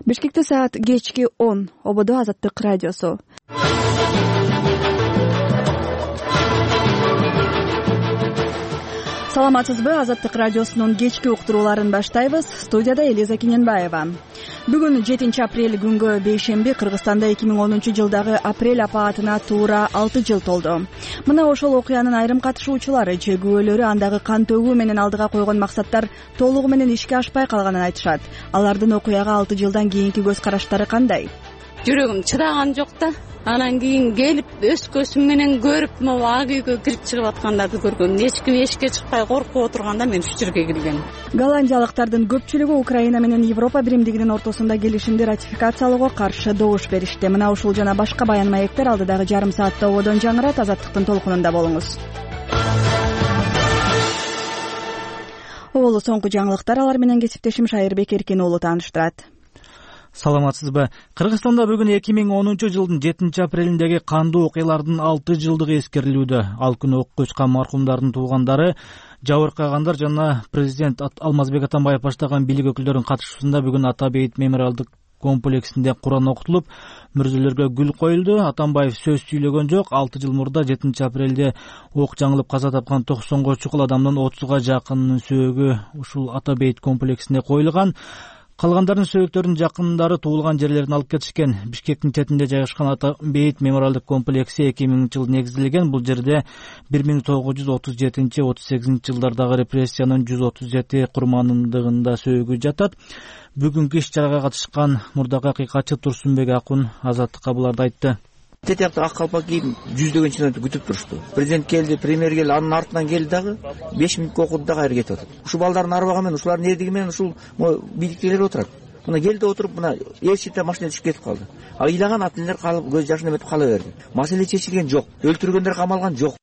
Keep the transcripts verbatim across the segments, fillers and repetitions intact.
Бишкекте саат кечки он. Ободо Азаттык радиосу. Саламатсызбы? Азаттык радиосунун кечки уктурууларын баштайбыз. Студияда Элиза Кененбаева. Бүгүн жетинчи апрель күнгө бейшемби Кыргызстанда эки миң онунчу жылдагы апрель апаатына туура алты жыл толду. Мына ошол окуянын айрым катышуучулары же күбөлөрү андагы кан төгүү менен алдыга койгон максаттар толугу менен ишке ашпай калганын айтышат. Алардын окуяга алты жылдан кийинки көз караштары кандай? Жүрөгүм чыдаган жок да. Анан кийин келип өз көзүм менен көрүп, могу ак үйгө кирип чыгып аткандарды көргөм. Эч ким эшикке чыкпай коркуп отурганда мен ушу жерге киргем. Голландиялыктардын көпчүлүгү Украина менен Европа биримдигинин ортосунда келишимди ратификациялоого каршы добуш беришти. Мына ушул жана башка баян маектер алдыдагы жарым саатта ободон жаңырат. Азаттыктын толкунунда болуңуз. Оболу соңку жаңылыктар алар менен кесиптешим Шайырбек Эркин уулу тааныштырат. Саламатсызбы? Кыргызстанда бүгүн эки миң онунчу жылдын жетинчи апрелиндеги кандуу окуялардын алты жылдыгы эскерилүүдө. Ал күнү окуп өчкөн маркумдардын туугандары, жабыркагандар жана президент Алмазбек Атамбаев баштаган бийлик өкүлдөрүнүн катышуусунда бүгүн Ата Бейит мемориалдык комплексинде Куран окутулуп, мүрзөлөргө гүл коюлду. Атамбаев сөз сүйлөгөн жок. алты жыл мурда жетинчи апрелде ок жаңылып каза тапкан токсонго чукул адамдын отузга жакынынын сөөгү ушул Ата Бейит комплексинде коюлган. Калгандардын сөөктөрүнүн жакындары туулган жерлерин алып кетишкен. Бишкектин четинде жайгашкан Ата Бейит мемориалдык комплекси эки миңинчи жылы негизделген. Бул жерде бир миң тогуз жүз отуз жетинчи отуз сегизинчи жылдардагы репрессиянын жүз отуз жети курмандыгында сөөгү жатат. Бүгүнкү иш чарага катышкан мурдагы акыйкатчы Турсунбек Акун Азаттыкка буларды айтты. Тетиякты ак калпак кийип жүздөгөн чиновниктер күтүп турушту. Президент келди, премьер келди, анын артынан келди дагы беш мүнөткө окуду дагы кайра кетип атат. Ушул балдардын арбагы менен, ушулардын эрдиги менен ушул бийликтегилер отурат. Мына келди отуруп, мына элчите машина түшүп кетип калды. А ыйлаган ата-энелер калып көз жашын эметип кала берди. Маселе чечилген жок, өлтүргөндөр камалган жок.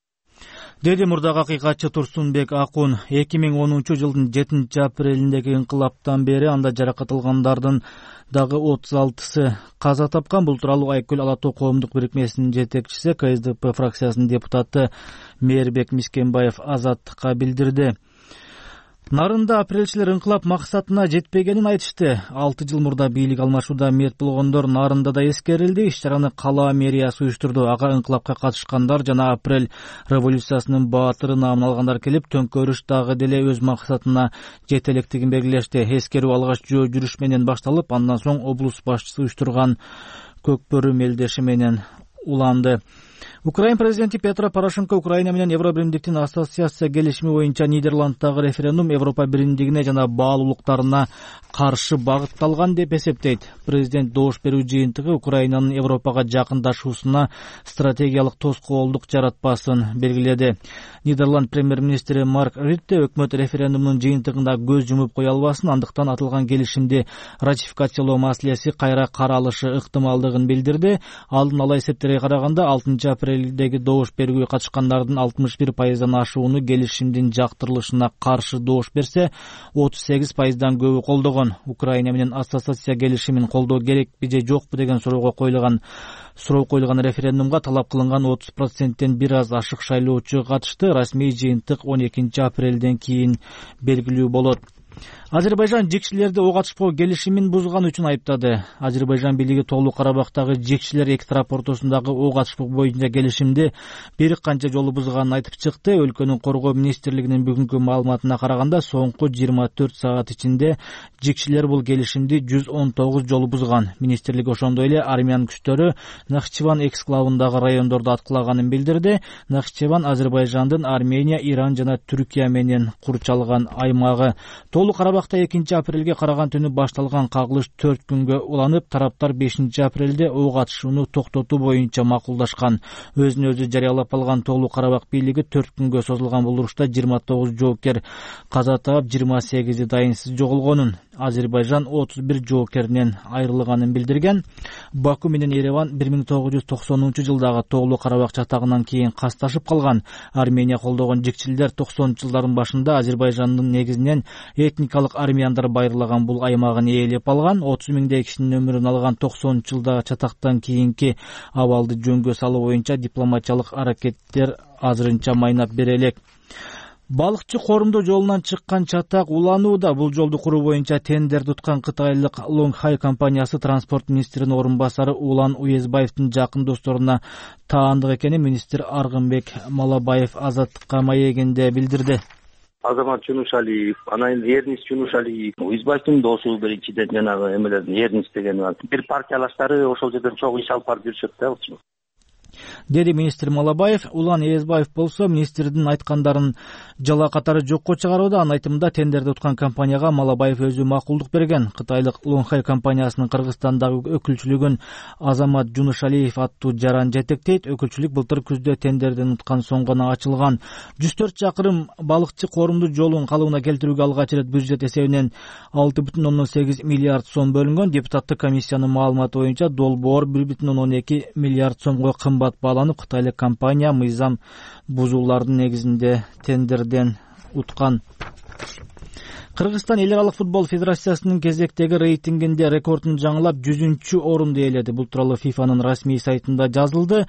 Деди мурдагы акыйкатчы Турсунбек Акун. эки миң онунчу жылдын жетинчи апрелиндеги инкылаптан бери анда жаракат алгандардын дагы отуз алтысы каза тапкан. Бул тууралуу Айкөл Ала Тоо коомдук бирикмесинин жетекчиси, Ка Эс Д П фракциясынын депутаты Мээрбек Мискенбаев Азаттыкка билдирди. Нарында апрелчилер инкылап максатына жетпегенин айтышты. алты жыл мурда бийлик алмашууда мерт болгондор Нарында да эскерилди. Иш чараны кала мэриясы уюштурду. Ага инкылапка катышкандар жана апрель революциясынын баатыры наамын алгандар келип, төңкөрүш дагы деле өз максатына жете электигин белгилешти. Эскерүү алгач жөө жүрүш менен башталып, андан соң облус башчысы уюштурган көкбөрү мелдеши менен уланды. Украин президенти Петро Порошенко Украина менен Евро биримдиктин ассоциация келишими боюнча Нидерланддагы референдум Европа биримдигине жана баалуулуктарына каршы багытталган деп эсептейт. Президент добуш берүү жыйынтыгы Украинанын Европага жакындашуусуна стратегиялык тоскоолдук жаратпасын белгиледи. Нидерланд премьер-министри Марк Рютте өкмөт референдумдун жыйынтыгында көз жумуп кое албасын, андыктан атылган келишимди ратификациялоо маселеси кайра каралышы ыктымалдыгын билдирди. Алдын ала эсептерге караганда алтынчы апрелдеги добуш берүүгө катышкандардын алтымыш бир пайыздан ашууну келишимдин жактырылышына каршы добуш берсе, отуз сегиз пайыздан көбү колдогон. Украина менен ассоциация келишимин колдоо керекпи же жокпу деген суроого коюлган суроо коюлган референдумга талап кылынган отуз проценттен бир аз ашык шайлоочу катышты. Расмий жыйынтык он экинчи апрелден кийин белгилүү болот. Азербайжан жикчилерди ок атышпоо келишимин бузган үчүн айыптады. Азербайжан бийлиги Тоолуу Карабактагы жикчилер эки тарап ортосундагы ок атышпоо боюнча келишимди бир канча жолу бузганын айтып чыкты. Өлкөнүн коргоо министрлигинин бүгүнкү маалыматына караганда, соңку жыйырма төрт саат ичинде жикчилер бул келишимди жүз он тогуз жолу бузган. Министрлик ошондой эле армян күчтөрү Нахчыван эксклавындагы райондорду аткылаганын билдирди. Нахчыван Азербайжандын Армения, Иран жана Түркия менен курчалган аймагы. Тоолуу Карабакта экинчи апрелге караган түнү башталган кагылыш төрт күнгө уланып, тараптар бешинчи апрелде ок атышууну токтотуу боюнча макулдашкан. Өзүн өзү жарыялап алган Тоолуу Карабак бийлиги төрт күнгө созулган бул урушта жыйырма тогуз жоокер каза таап, жыйырма сегизи дайынсыз жоголгонун, Азербайжан отуз бир жоокеринен айрылганын билдирген. Баку менен Ереван бир миң тогуз жүз токсонунчу жылдагы Тоолуу Карабак чатагынан кийин касташып калган. Армения колдогон жикчилер токсонунчу жылдардын башында Азербайжандын негизинен этникалык армяндар байырлаган бул аймагын ээлеп алган. отуз миңдей кишинин өмүрүн алган токсонунчу жылдагы чатактан кийинки абалды жөнгө салуу боюнча дипломатиялык аракеттер азырынча майнап бере элек. Балыкчы коомдуу жолунан чыккан чатак уланууда. Бул жолду куруу боюнча тендерди уткан кытайлык Лонгхай компаниясы транспорт министринин орун басары Улан Уезбаевдин жакын досторуна таандык экенин министр Аргынбек Малабаев Азаттыкка маегинде билдирди. Азамат Жунушалиев, анан Эрнис Жунушалиев, Уезбаевдин досу биринчиден жанагы эмелердин Эрнис деген бир партиялаштары ошол жерден чогуу иш алып барып жүрүшөт да. Деди министр Малабаев. Улан Уезбаев болсо министрдин айткандарын жала катары жокко чыгарууда. Анын айтымында тендерди уткан компанияга Малабаев өзү макулдук берген. Кытайлык Лонгхай компаниясынын Кыргызстандагы өкүлчүлүгүн Азамат Жунушалиев аттуу жаран жетектейт. Өкүлчүлүк былтыр күздө тендерден уткан соң гана ачылган. жүз төрт чакырым балыкчы коомдуу жолун калыбына келтирүүгө алгач ирет бюджет эсебинен алты бүтүн ондон сегиз миллиард сом бөлүнгөн. Депутаттык комиссиянын маалыматы боюнча долбоор бир бүтүн ондон эки миллиард сомго кымбат бааланып, кытайлык компания мыйзам бузуулардын негизинде тендерден уткан. Кыргызстан эл аралык футбол федерациясынын кезектеги рейтингинде рекордун жаңылап жүзүнчү орунду ээледи. Бул тууралуу ФИФАнын расмий сайтында жазылды.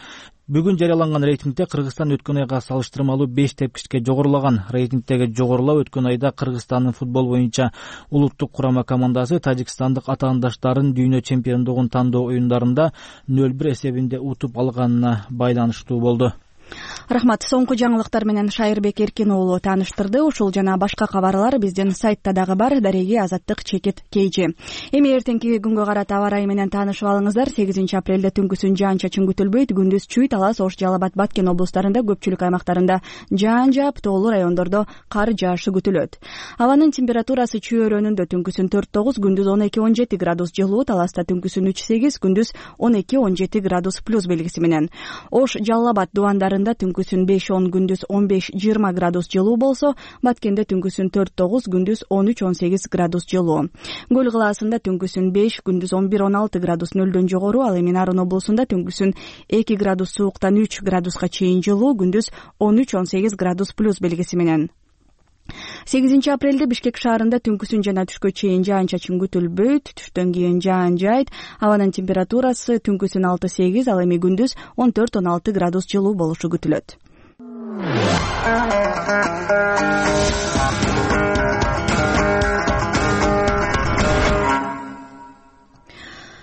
Бүгүн жарыяланган рейтингде Кыргызстан өткөн айга салыштырмалуу беш тепкичке жогорулаган. Рейтингдеги жогорулоо өткөн айда Кыргызстандын футбол боюнча улуттук курама командасы тажикстандык атаандаштарын дүйнө чемпиондугун тандоо оюндарында нөл бир эсебинде утуп алганына байланыштуу болду. Рахмат. Соңку жаңылыктар менен Шайырбек Эркин уулу тааныштырды. Ушул жана башка кабарлар биздин сайтта дагы бар. Дареги Азаттык чекит Кейжи. Эми эртеңки күнгө карата аба ырайы менен таанышып алыңыздар. сегизинчи апрелде түнкүсүн жаан-чачын күтүлбөйт. Күндүз Чүй, Талас, Ош, Жалал Абад, Баткен облустарында көпчүлүк аймактарында жаан жаап, тоолуу райондордо кар жаашы күтүлөт. Абанын температурасы Чүй өрөөнүндө түнкүсүн төрт тогуз, күндүз он эки он жети градус жылуу, Таласта түнкүсүн үч сегиз, күндүз он эки он жети градус плюс белгиси менен. Ош, Жалал Абад дубандарында түнкүсүн беш он, күндүз он беш жыйырма градус жылуу болсо, Баткенде түнкүсүн төрт тогуз, күндүз он үч он сегиз градус жылуу. Көл кылаасында түнкүсүн беш, күндүз он бир он алты градус нөлдөн жогору, ал эми Нарын облусунда түнкүсүн эки градус сууктан үч градуска чейин жылуу, күндүз он үч он сегиз градус плюс белгиси менен. сегизинчи апрелде Бишкек шаарында түнкүсүн жана түшкө чейин жаан-чачын күтүлбөйт. Түштөн кийин жаан жайт. Абанын температурасы түнкүсүн алты сегиз, ал эми күндүз он төрт он алты градус жылуу болушу күтүлөт.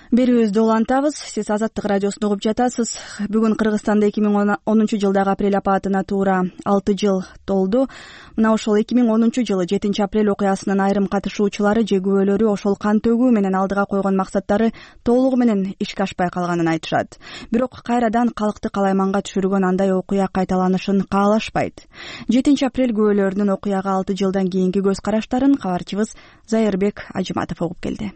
Берүүбүздү улантабыз. Сиз Азаттык радиосунда угуп жатасыз. Бүгүн Кыргызстанда эки миң онунчу жылдагы апрель апаатына туура алты жыл толду. Мына ошол эки миң онунчу жылы жетинчи апрель окуясынын айрым катышуучулары же күбөлөрү ошол кан төгүү менен алдыга койгон максаттары толугу менен ишке ашпай калганын айтышат. Бирок кайрадан калкты калайманга түшүргөн андай окуя кайталанышын каалашпайт. жетинчи апрель күбөлөрүнүн окуяга алты жылдан кийинки көз караштарын кабарчыбыз Зайырбек Ажыматов угуп келди.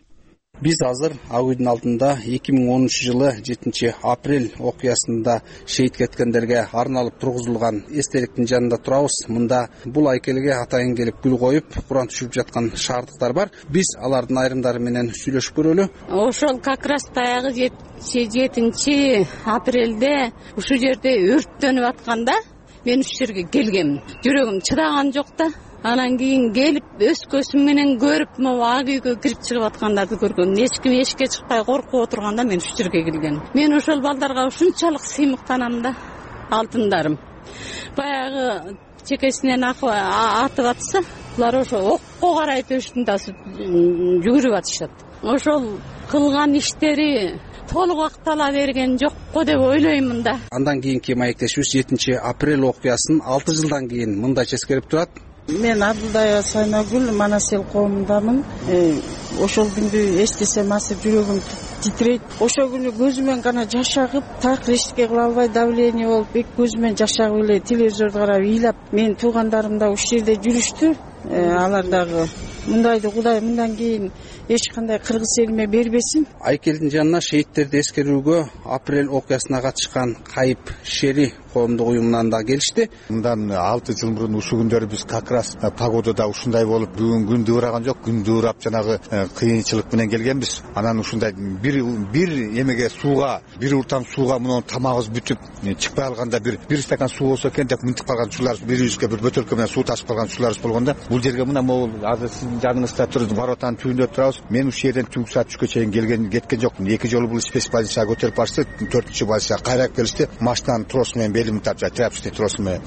Биз азыр ак үйдүн алдында эки миң онунчу жылы жетинчи апрель окуясында шейит кеткендерге арналып тургузулган эстеликтин жанында турабыз. Мында бул айкелге атайын келип гүл коюп, Куран түшүрүп жаткан шаардыктар бар. Биз алардын айрымдары менен сүйлөшүп көрөлү. Ошол как раз баягы жетинчи апрелде ушул жерде өрттөнүп атканда мен ушул жерге келгем. Жүрөгүм чыдаган жок да. Анан кийин келип өз көзүм менен көрүп, могу ак үйгө кирип чыгып аткандарды көргөн. Эч ким эшикке чыкпай коркуп отурганда мен ушул жерге келген. Мен ошол балдарга ушунчалык сыймыктанам да, алтындарым. Баягы чекесинен атып атса, булар ошо окко карай төштүн тасып жүгүрүп атышат. Ошол кылган иштери толук актала берген жокко деп ойлоймун да. Андан кийинки маектешибиз жетинчи апрель окуясын алты жылдан кийин мындайча эскерип турат. Мен Абдулдаева Сайнагүл, Манас эл коомундамын. Ошол күндү эстесем азыр жүрөгүм титрейт. Ошол күнү көзүмөн гана жаш агып, такыр эчтеке кыла албай давление болуп, эки көзүмөн жаш агып эле телевизорду карап ыйлап, менин туугандарым да ушул жерде жүрүштү. Алар дагы мындайды Кудай мындан кийин эч кандай кыргыз элиме бербесин. Айкелдин жанына шейттерди эскерүүгө апрель окуясына катышкан Кайып Шери коомдук уюмунан да келишти. Мындан алты жыл мурун ушул күндөрү биз как раз погодада ушундай болуп, бүгүн күн дыбыраган жок, күн дыбырап жанагы кыйынчылык менен келгенбиз. Анан ушундай бир бир эмеге сууга, бир уртам сууга муну тамагыбыз бүтүп чыкпай алганда бир бир стакан суу болсо экен деп мынтип калган учурлар, бирибизге бир бөтөлкө менен суу ташып калган учурларыбыз болгондо, бул жерге мына могул азыр сиз жаныңызда туруп воротанын түбүндө турабыз. Мен ушул жерден түнкү саат үчкө чейин келген кеткен жокмун. Эки жолу бул спец позицияга көтөрүп барышты. төртүнчү позицияга кайрап келишти. Машинанын тросу менен белимди тартып, тряпочный тросу менен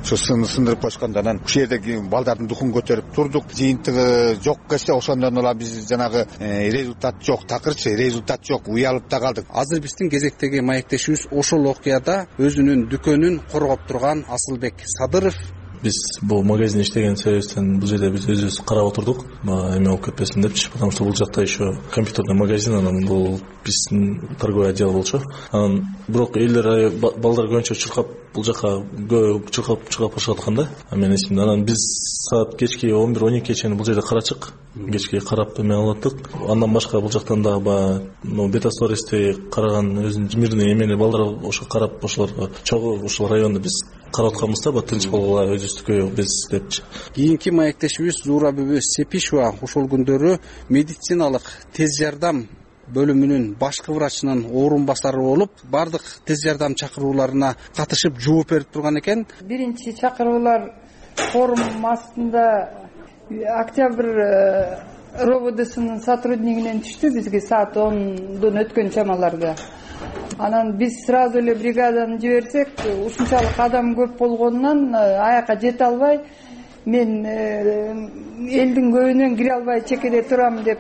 ушу сындырып коюшканда анан ушул жердеги балдардын духун көтөрүп турдук. Жыйынтыгы жок келсе ошондон улам биз жанагы результат жок, такырчы результат жок, уялып да калдык. Азыр биздин кезектеги маектешибиз ошол окуяда өзүнүн дүкөнүн коргоп турган Асылбек Садыров. Биз бул магазин иштеген себептен бул жерде биз өзүбүз карап отурдук, эме болуп кетпесин депчи, потому что бул жакта еще компьютерный магазин, анан бул биздин торговый отдел болчу. Анан бирок элдер балдар көбүнчө чуркап бул жака чуркап чуркап башып аткан да. Мен эсимде, анан биз саат кечки он бир он экиге чейин бул жерде карачык, кечки карап эме алып аттык. Андан башка бул жактан дагы баягы бета-стористи караган өзүнүн мирный эмени балдар ошо карап, ошолорго чогуу ушул районду биз карап атканбыз да, тынч болгула өзүбүздүкү биз депчи. Кийинки маектешибиз Зуура бүбү Сепишева ошол күндөрү медициналык тез жардам бөлүмүнүн башкы врачынын орун басары болуп, бардык тез жардам чакырууларына катышып жооп берип турган экен. Биринчи чакыруулар форум астында Октябрь РОВДсынын сотруднигинен түштү бизге саат ондон өткөн чамаларда. Анан биз сразу эле бригаданы жиберсек, ушунчалык адам көп болгонунан аякка жете албай, мен элдин көбүнөн кире албай чекеде турам деп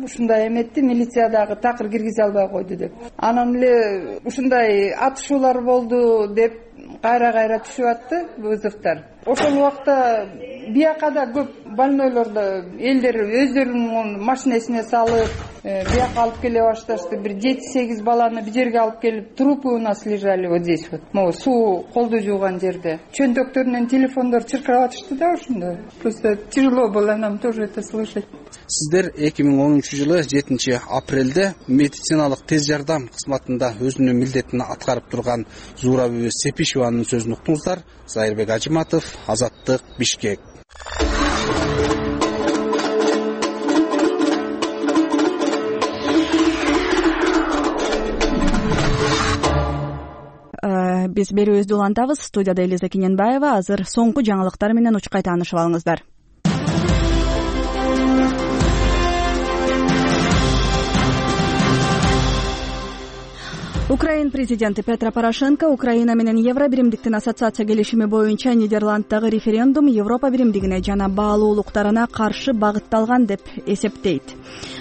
ушундай эметти, милиция дагы такыр киргизе албай койду деп. Анан эле ушундай атышуулар болду деп кайра-кайра түшүп атты вызовдор. Ошол убакта бияка да көп больнойлорду элдер өздөрүнүн машинесине салып, бияка алып келе башташты. Бир жети сегиз баланы бир жерге алып келип, трупы у нас лежали вот здесь вот. Могу суу колду жууган жерде. Чөнтөктөрүнөн телефондор чыркырап атышты да ошондо. Просто тяжело было нам тоже это слышать. Сиздер эки миң онунчу жылы жетинчи апрелде медициналык тез жардам кызматында өзүнүн милдетин аткарып турган Зуура бүбү Сепишеванын сөзүн уктуңуздар. Зайырбек Ажиматов, Азаттык, Бишкек. Биз берүүбүздү улантабыз. Студияда Элиза Кененбаева. Азыр соңку жаңылыктар менен учкай таанышып алыңыздар. Украин президенти Петро Порошенко Украина менен Евро биримдиктин ассоциация келишими боюнча Нидерланддагы референдум Европа биримдигине жана баалуулуктарына каршы багытталган деп эсептейт.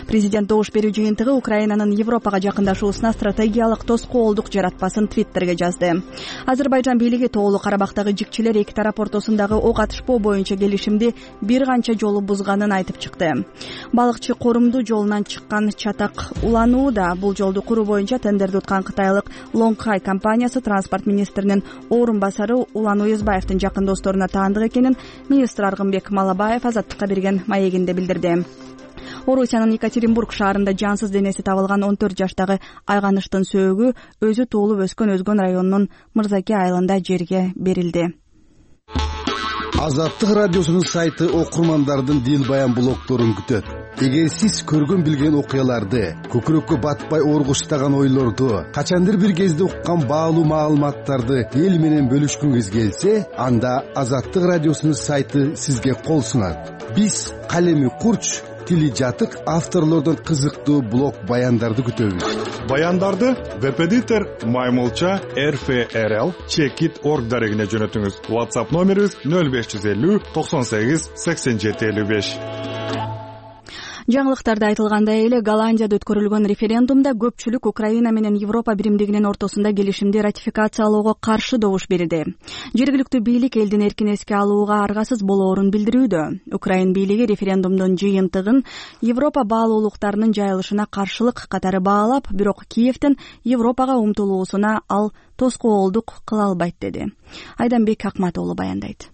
Президент добуш берүү жыйынтыгы Украинанын Европага жакындашуусуна стратегиялык тоскоолдук жаратпасын Твиттерге жазды. Азербайжан бийлиги Тоолуу Карабактагы жикчилер эки тарап ортосундагы ок атышпоо боюнча келишимди бир канча жолу бузганын айтып чыкты. Балыкчы корумду жолунан чыккан чатак уланууда. Бул жолду куруу боюнча тендерди уткан Кытайлык Лонгхай компаниясы транспорт министринин орун басары Улан Уюзбаевдин жакын досторуна таандык экенин министр Аргынбек Малабаев Азаттыкка берген маегинде билдирди. Орусиянын Екатеринбург шаарында жансыз денеси табылган он төрт жаштагы айганыштын сөөгү өзү туулуп өскөн Өзгөн районунун Мырзаке айылында жерге берилди. Азаттык радиосунун сайты окурмандардын дил баян блогторун күтөт. Эгер сиз көргөн билген окуяларды, көкүрөккө батпай оргуштаган ойлорду, качандыр бир кезде уккан баалуу маалыматтарды эл менен бөлүшкүңүз келсе, анда Азаттык радиосунун сайты сизге кол сунат. Биз калеми курч, тили жатык авторлордон кызыктуу блог баяндарды күтөбүз. Баяндарды веб-эдитор Маймылча эр эф эр эл чекит точка орг дарегине жөнөтүңүз. WhatsApp номерибиз нөл беш жүз элүү токсон сегиз сексен жети элүү беш. Жаңылыктарда айтылгандай эле Голландияда өткөрүлгөн референдумда көпчүлүк Украина менен Европа биримдигинин ортосунда келишимди ратификациялоого каршы добуш берди. Жергиликтүү бийлик элдин эркин эске алууга аргасыз болоорун билдирүүдө. Украин бийлиги референдумдун жыйынтыгын Европа баалуулуктарынын жайылышына каршылык катары баалап, бирок Киевден Европага умтулуусуна ал тоскоолдук кыла албайт деди. Айданбек Акматоğlu баяндайт.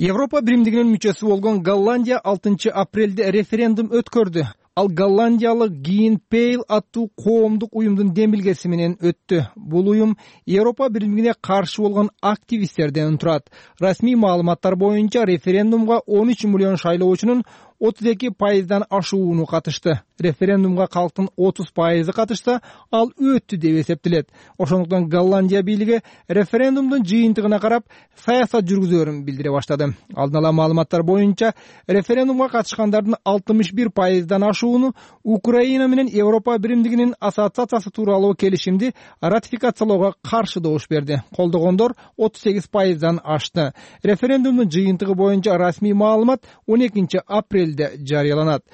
Европа биримдигинин мүчөсү болгон Голландия алтынчы апрелде референдум өткөрдү. Ал голландиялык Green Pale аттуу коомдук уюмдун демилгеси менен өттү. Бул уюм Европа биримдигине каршы болгон активисттерден турат. Расмий маалыматтар боюнча референдумга он үч миллион шайлоочунун отуз эки пайыздан ашууну катышты. Референдумга калктын отуз пайызы катышса, ал өттү деп эсептелет. Ошондуктан Голландия бийлиги референдумдун жыйынтыгына карап саясат жүргүзөөрүн билдире баштады. Алдын ала маалыматтар боюнча, референдумга катышкандардын алтымыш бир пайыздан ашууну Украина менен Европа биримдигинин ассоциациясы тууралуу келишимди ратификациялоого каршы добуш берди. Колдогондор отуз сегиз пайыздан ашты. Референдумдун жыйынтыгы боюнча расмий маалымат он экинчи апрелде жарыяланат.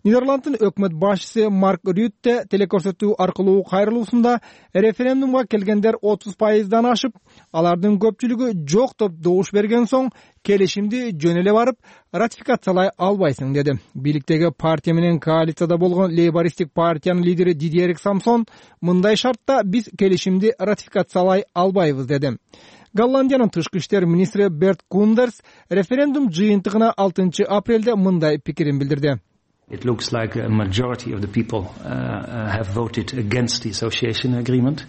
Нидерланддын өкмөт башчысы Марк Рютте телекөрсөтүү аркылуу кайрылуусунда референдумга келгендер отуз пайыздан ашып, алардын көпчүлүгү жок деп добуш берген соң келишимди жөн эле барып ратификациялай албайсың деди. Бийликтеги партия менен коалицияда болгон лейбористтик партиянын лидери Дидьер Самсон мындай шартта биз келишимди ратификациялай албайбыз деди. Голландиянын тышкы иштер министри Берт Кундерс референдум жыйынтыгына алтынчы апрелде мындай пикирин билдирди. It looks like a majority of the people uh, have voted against the association agreement.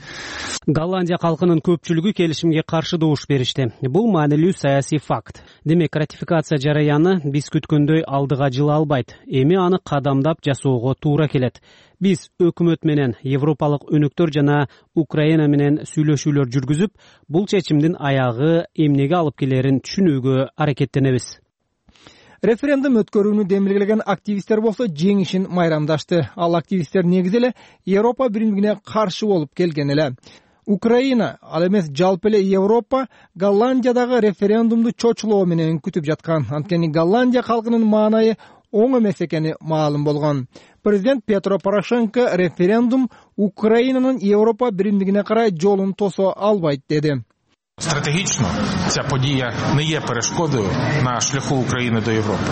Голландия калкынын көпчүлүгү келишимге каршы добуш беришти. Бул маанилүү саясий факт. Демек, ратификация жараяны биз күткөндөй алдыга жыла албайт. Эми аны кадамдап жасоого туура келет. Биз өкмөт менен европалык өнөктөр жана Украина менен сүйлөшүүлөр жүргүзүп, бул чечимдин аягы эмнеге алып келерин түшүнүүгө аракеттенебиз. Референдум өткөрүүнү демилгелеген активисттер болсо жеңишин майрамдашты. Ал активисттер негизи эле Европа биримдигине каршы болуп келген эле. Украина, ал эмес жалпы эле Европа Голландиядагы референдумду чочулоо менен күтүп жаткан. Анткени Голландия калкынын маанайы оң эмес экени маалым болгон. Президент Петро Порошенко референдум Украинанын Европа биримдигине карай жолун тосо албайт деди. Стратегічно ця подія не є перешкодою на шляху України до Європи.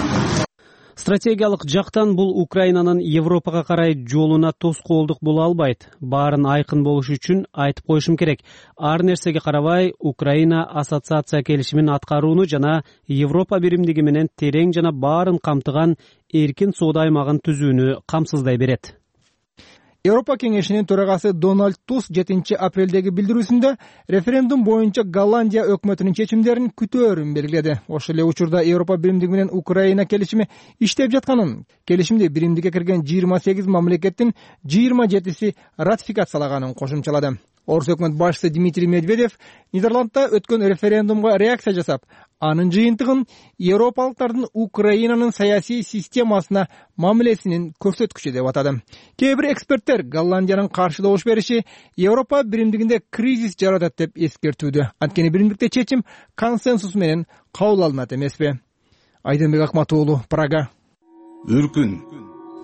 Стратегиялык жактан бул Украинанын Европага карай жолуна тоскоолдук боло албайт. Баарын айкын болуш үчүн айтып коюшум керек. Ар нерсеге карабай, Украина ассоциация келишимин аткарууну жана Европа биримдиги менен терең жана баарын камтыган эркин соода аймагын түзүүнү камсыздай берет. Европа кеңешинин төрагасы Дональд Туск жетинчи апрелдеги билдирүүсүндө референдум боюнча Голландия өкмөтүнүн чечимдерин күтөөрүн белгиледи. Ошол эле учурда Европа биримдиги менен Украина келишими иштеп жатканын, келишимди биримдикке кирген жыйырма сегиз мамлекеттин жыйырма жетиси ратификациялаганын кошумчалады. Орус өкмөт башчысы Дмитрий Медведев Нидерландда өткөн референдумга реакция жасап, анын жыйынтыгын европалыктардын Украинанын саясий системасына мамилесинин көрсөткүчү деп атады. Кээ бир эксперттер Голландиянын каршы добуш бериши Европа биримдигинде кризис жаратат деп эскертүүдө. Анткени биримдикте чечим консенсус менен кабыл алынат эмеспи? Айдынбек Акмат уулу, Прага. Үркүн,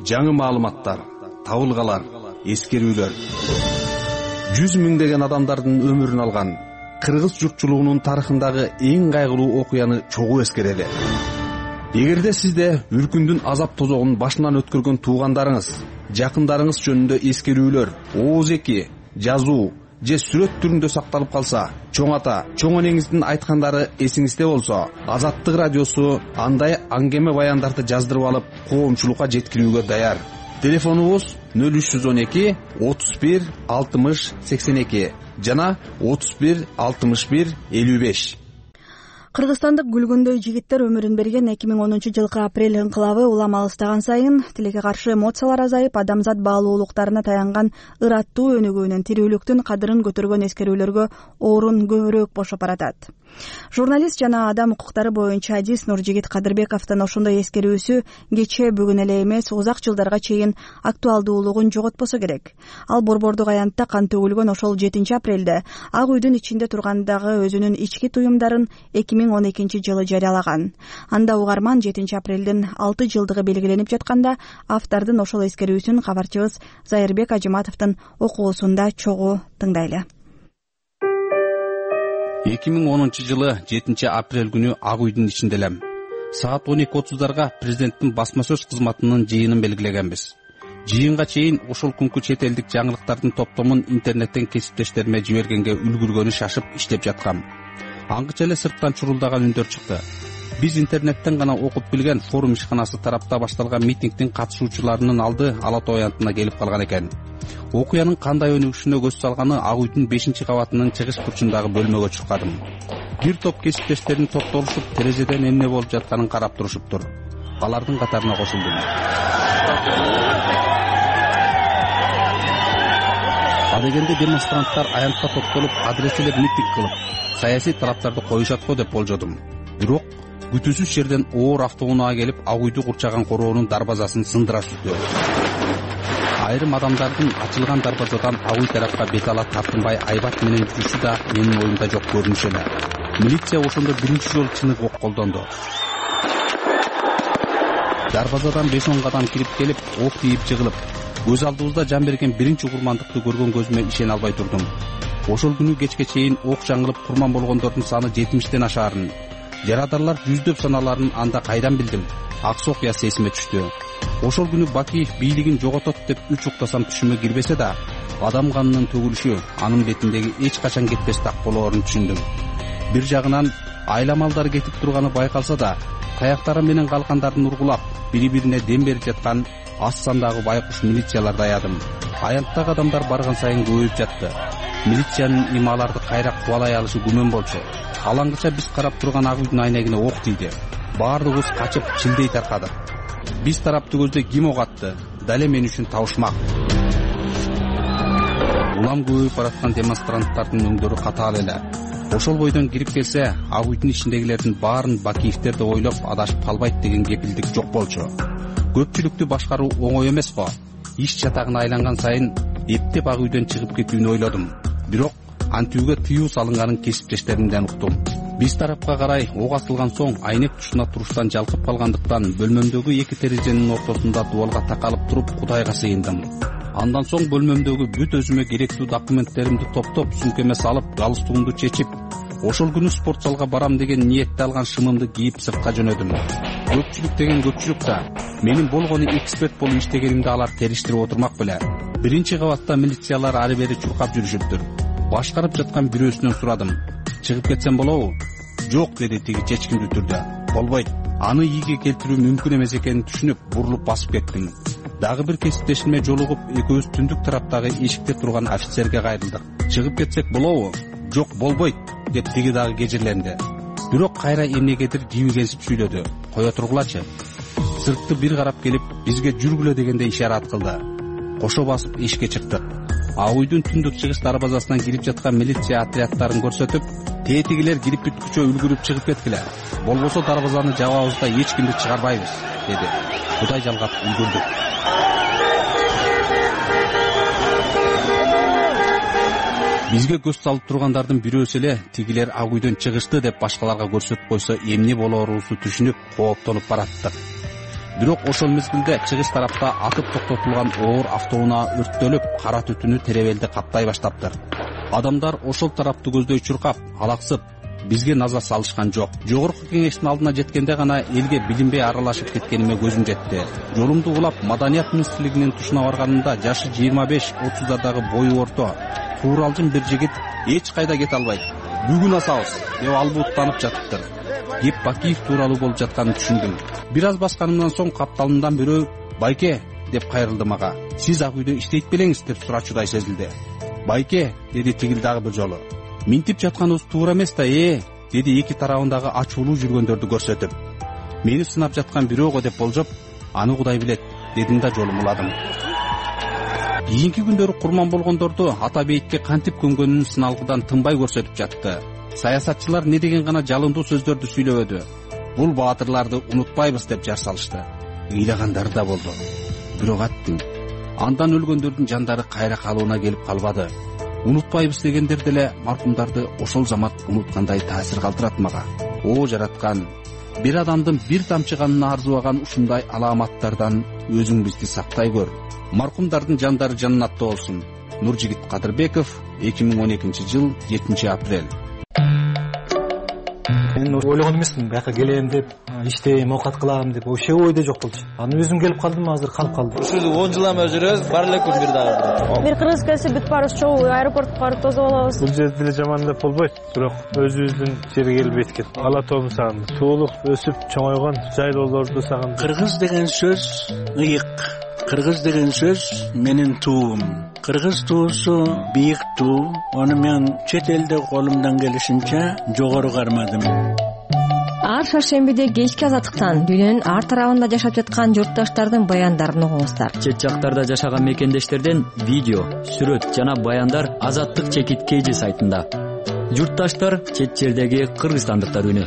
жаңы маалыматтар, табылгалар, эскерүүлөр. жүз миңдеген адамдардын өмүрүн алган кыргыз журтчулугунун тарыхындагы эң кайгылуу окуяны чогуу эскерели. Эгерде сизде үркүндүн азап тозогун башынан өткөргөн туугандарыңыз, жакындарыңыз жөнүндө эскерүүлөр, ооз эки, жазуу же сүрөт түрүндө сакталып калса, чоң ата, чоң энеңиздин айткандары эсиңизде болсо, Азаттык радиосу андай аңгеме баяндарды жаздырып алып, коомчулукка жеткирүүгө даяр. Телефонубуз нөл үч жүз он эки отуз бир алтымыш сексен эки жана отуз бир алтымыш бир элүү беш. Кыргызстандык гүлгүндөй жигиттер өмүрүн берген эки миң онунчу жылкы апрель инкылабы улам алыстаган сайын тилекке каршы эмоциялар азайып, адамзат баалуулуктарына таянган ыраттуу өнүгүүнүн, тирүүлүктүн кадырын көтөргөн эскерүүлөргө орун көбүрөөк бошоп баратат. Журналист жана адам укуктары боюнча адис Нуржигит Кадырбековдун ошондой эскерүүсү кече бүгүн эле эмес, узак жылдарга чейин актуалдуулугун жоготпосо керек. Ал борбордук аянтта кан төгүлгөн ошол жетинчи апрелде Ак үйдүн ичинде тургандагы өзүнүн ички туюмдарын эки миң он экинчи жылы жарыялаган. Анда угарман жетинчи апрелдин алты жылдыгы белгиленип жатканда автордун ошол эскерүүсүн кабарчыбыз Зайырбек Ажыматовдун окуусунда чогуу тыңдайлы. эки миң онунчу жылы жетинчи апрель күнү Ак үйдүн ичинде элем. Саат он эки отуздарга президенттин басма сөз кызматынын жыйынын белгилегенбиз. Жыйынга чейин ошол күнкү чет элдик жаңылыктардын топтомун интернеттен кесиптештериме жибергенге үлгүргөнү шашып иштеп жаткам. Аңгыча эле сырттан чурулдаган үндөр чыкты. Биз интернеттен гана окуп билген форум ишканасы тарапта башталган митингдин катышуучуларынын алды Ала Тоо аянтына келип калган экен. Окуянын кандай өнүгүшүнө көз салганы Ак үйдүн бешинчи кабатынын чыгыш бурчундагы бөлмөгө чыккадым. Бир топ кесиптештерин топтолушуп терезеден эмне болуп жатканын карап турушуптур. алардын катарына кошулдум. Адегенде демонстранттар аянтка топтолуп, адреселеп митинг кылып, саясий талаптарды коюшат го деп болжодум. Бирок күтүүсүз жерден оор автоунаа келип, Ак үйдү курчаган короонун дарбазасын сындыра түздү. Айрым адамдардын ачылган дарбазадан Ак үй тарапка бет ала тартынбай айбат менен жүрүшү да менин оюмда жок көрүнүш эле. Милиция ошондо биринчи жолу чынык ок колдонду. Дарбазадан беш он кадам кирип келип, ок тийип жыгылып, көз алдыбызда жан берген биринчи курмандыкты көргөн көзүмө ишене албай турдум. Ошол күнү кечке чейин ок жаңылып курман болгондордун саны жетимиштен ашаарын, жарадарлар жүздөп саналарын анда кайдан билдим? Аксы окуясы эсиме түштү. Ошол күнү Бакиев бийлигин жоготот деп үч уктасам түшүмө кирбесе да, адам канынын төгүлүшү анын бетиндеги эч качан кетпес так болоорун түшүндүм. Бир жагынан айламалдар кетип турганы байкалса да, таяктары менен калкандардын ургулап, бири-бирине дем берип жаткан аз сандагы байкуш милицияларды аядым. Аянттагы адамдар барган сайын көбөйүп жатты. Милициянын ималарды кайра кубалай алышы күмөн болчу. Алаңгыча биз карап турган Ак үйдүн айнегине ок тийди. Баардыгыбыз качып чилдей таркадык. Биз тарапты көздөй ким ок атты? Дале мен үчүн табышмак. Улам көбөйүп бараткан демонстранттардын өңдөрү катаал эле. Ошол бойдон кирип келсе, Ак үйдүн ичиндегилердин баарын Бакиевдер деп ойлоп адашып калбайт деген кепилдик жок болчу. Көпчүлүктү башкаруу оңой эмес го. Иш чатагына айланган сайын эптеп Ак үйдөн чыгып кетүүнү ойлодум. Бирок антүүгө тыюу салынганын кесиптештеримден уктум. Биз тарапка карай ок атылган соң айнек тушуна туруштан жалкып калгандыктан бөлмөмдөгү эки терезенин ортосунда дубалга такалып туруп Кудайга сыйындым. Андан соң бөлмөмдөгү бүт өзүмө керектүү документтеримди топтоп, сумкеме салып, галстугумду чечип, ошол күнү спорт залга барам деген ниетте алган шымымды кийип сыртка жөнөдүм. Көпчүлүк деген көпчүлүк да менин болгону эксперт болуп иштегенимди алар териштирип отурмак беле. Биринчи кабатта милициялар ары бери чуркап жүрүшүптүр. Башкарып жаткан бирөөсүнөн сурадым. Чыгып кетсем болобу? Жок, деди тиги чечкиндүү түрдө. Болбойт. Аны ийге келтирүү мүмкүн эмес экенин түшүнүп, бурулуп басып кеттим. Дагы бир кесиптешиме жолугуп, экөөбүз түндүк тараптагы эшикте турган офицерге кайрылдык. Чыгып кетсек болобу? Жок, болбойт, деп тиги дагы кежирленди. Бирок кайра эмнегедир жиби келип сүйлөдү. Кое тургулачы. Сыртты бир карап келип, бизге жүргүлө дегенде ишарат кылды. Кошо басып эшикке чыктык. Ак үйдүн түндүк чыгыш дарбазасынан кирип жаткан милиция отряддарын көрсөтүп, тетигилер кирип бүткүчө үлгүрүп чыгып кеткиле. Болбосо дарбазаны жабабыз да эч кимди чыгарбайбыз, деди. Кудай жалгап үлгүрдүк. Бизге көз салып тургандардын бирөөсү эле тигилер Ак үйдөн чыгышты деп башкаларга көрсөтүп койсо эмне болоорубузду түшүнүп, кооптонуп бараттык. Бирок ошол мезгилде чыгыш тарапта атып токтотулган оор автоунаа өрттөлүп, кара түтүнү теребелди каптай баштаптыр. Адамдар ошол тарапты көздөй чуркап, алаксып, бизге назар салышкан жок. Жогорку кеңештин алдына жеткенде гана элге билинбей аралашып кеткениме көзүм жетти. Жолумду улап Маданият министрлигинин тушуна барганымда жашы жыйырма беш отуздардагы бою орто, тууралжын бир жигит эч кайда кете албайт. Бүгүн асабыз деп албуттанып жатыптыр. Кеп Бакиев тууралуу болуп жатканын түшүндүм. Бир аз басканымдан соң капталымдан бирөө «Байке» деп кайрылды мага. «Сиз Ак үйдө иштейт белеңиз?» деп сурачудай сезилди. «Байке», деди тигил дагы бир жолу. «Минтип жатканыбыз туура эмес да, э», деди эки тарабындагы ачуулуу жүргөндөрдү көрсөтүп. «Мени сынап жаткан бирөө го» деп болжоп, «Аны Кудай билет», дедим да жолум уладым. Кийинки күндөрү курман болгондорду ата бейитке кантип көмгөнүн сыналгыдан тынбай көрсөтүп жатты. Саясатчылар не деген гана жалындуу сөздөрдү сүйлөбөдү. Бул баатырларды унутпайбыз деп жар салышты. Ыйлагандары да болду. Бирок аттым. Андан өлгөндөрдүн жандары кайра калыбына келип калбады. Унутпайбыз дегендер деле маркумдарды ошол замат унуткандай таасир калтырат мага. О жараткан, бир адамдын бир тамчы канына арзыбаган ушундай аламаттардан өзүң бизди сактай көр. Маркумдардын жандары жаннатта болсун. Нуржигит Кадырбеков, эки миң он экинчи жыл жетинчи апрель. Мен ойлогон эмесмин, бияка келем деп, иштейм, оокат кылам деп, вообще ойдо жок болчу. Аны өзүм келип калдым, азыр калып калдым. Ушул он жылдан бери жүрөбүз, бар эле күн бир дагы. Бир кыргыз келсе бүт барыбыз чогуу аэропортко барып тосуп алабыз. Бул жерде деле жаман деп болбойт, бирок өзүбүздүн жерге келип эткет. Ала тоомду сагындым. Туулук өсүп чоңойгон жайлоолорду сагындым. Кыргыз деген сөз ыйык. Кыргыз деген сөз менин туум. Кыргыз туусу бийик туу. Аны мен чет элде колумдан келишинче жогору кармадым. Ар шаршембиде кечки азаттыктан дүйнөнүн ар тарабында жашап жаткан журтташтардын баяндарын угуңуздар. Чет жактарда жашаган мекендештерден видео, сүрөт жана баяндар Азаттык чекит kg сайтында. Журтташтар, чет жердеги кыргызстандыктар үнү.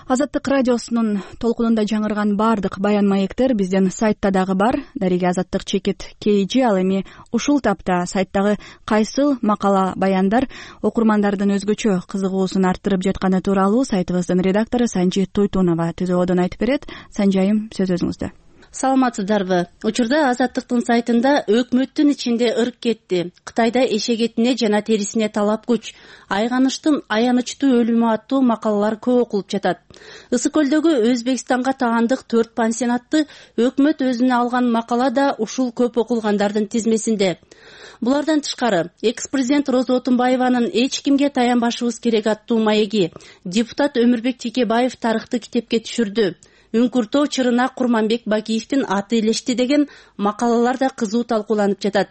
Азаттык радиосунун толкунунда жаңырган бардык баян маектер биздин сайтта дагы бар. Дареги Азаттык чекит kg ал эми ушул тапта сайттагы кайсыл макала баяндар окурмандардын өзгөчө кызыгуусун арттырып жатканы тууралуу сайтыбыздын редактору Санжи Туйтунова түзөөдөн айтып берет. Санжайым, сөз өзүңүздө. Саламатсыздарбы? Учурда Азаттыктын сайтында өкмөттүн ичинде ырк кетти. Кытайда эшек этине жана терисине талап күч, айганыштын аянычтуу өлүмү аттуу макалалар көп окулуп жатат. Ысык көлдөгү Өзбекстанга таандык төрт пансионатты өкмөт өзүнө алган макала да ушул көп окулгандардын тизмесинде. Булардан тышкары, экс-президент Роза Отунбаеванын эч кимге таянбашыбыз керек аттуу маеги депутат Өмүрбек Текебаев тарыхты китепке түшүрдү. Үңкүртөө Чырынак Курманбек Бакиевдин аты илешти деген макалалар да кызуу талкууланып жатат.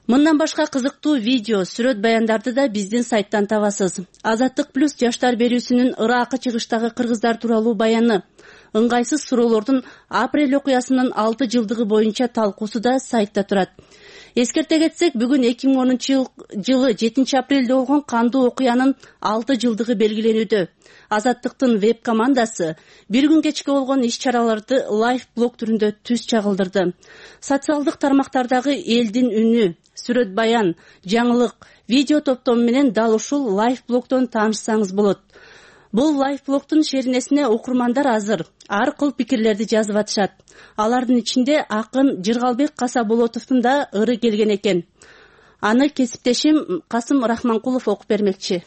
Мындан башка кызыктуу видео, сүрөт баяндарды да биздин сайттан табасыз. Азаттык плюс жаштар берүүсүнүн Ыракы чыгыштагы кыргыздар тууралуу баяны, ыңгайсыз суроолордун апрель окуясынын алты жылдыгы боюнча талкуусу да сайтта турат. Эскерте кетсек, бүгүн эки миң онунчу жылы жетинчи апрелде болгон кандуу окуянын алты жылдыгы белгиленүүдө. Азаттыктын веб командасы бир күн кечке болгон иш-чараларды лайв блог түрүндө түз чагылдырды. Социалдык тармактардагы элдин үнү, сүрөт баян, жаңылык, видео топтому менен дал ушул лайв блогдон таанышсаңыз болот. Бул лайв блогдун шеринесине окурмандар азыр ар кыл пикирлерди жазып атышат. Алардын ичинде акын Жыргалбек Касаболотовдун да ыры келген экен. Аны кесиптешим Касым Рахманкулов окуп бермекчи.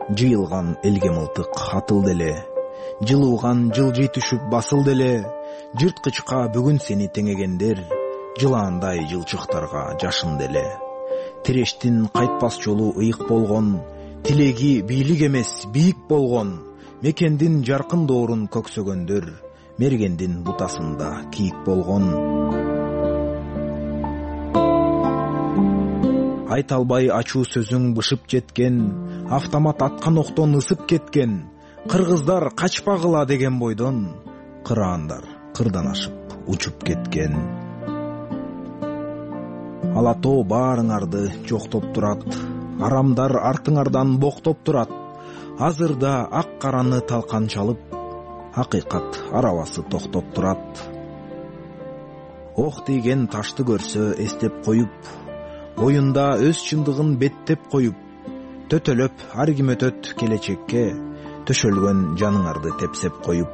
Жыйылган элге мылтык атылды эле, жылууган жылжый түшүп басылды эле, жырткычка бүгүн сени теңегендер, жылаандай жылчыктарга жашынды эле. Тирештин кайтпас жолу ыйык болгон, тилеги бийлик эмес бийик болгон, мекендин жаркын доорун көксөгөндөр, мергендин бутасында кийик болгон. Айта албай ачуу сөзүң бышып жеткен, автомат аткан октон ысып кеткен, кыргыздар качпагыла деген бойдон, кыраандар кырдан ашып учуп кеткен. Ала тоо баарыңарды жоктоп турат, арамдар артыңардан боктоп турат. Азырда ак караны талкан чалып, акыйкат арабасы токтоп турат. Ох деген ташты көрсө эстеп коюп, оюнда өз чындыгын беттеп коюп, төтөлөп ар ким өтөт келечекке, төшөлгөн жаныңарды тепсеп коюп.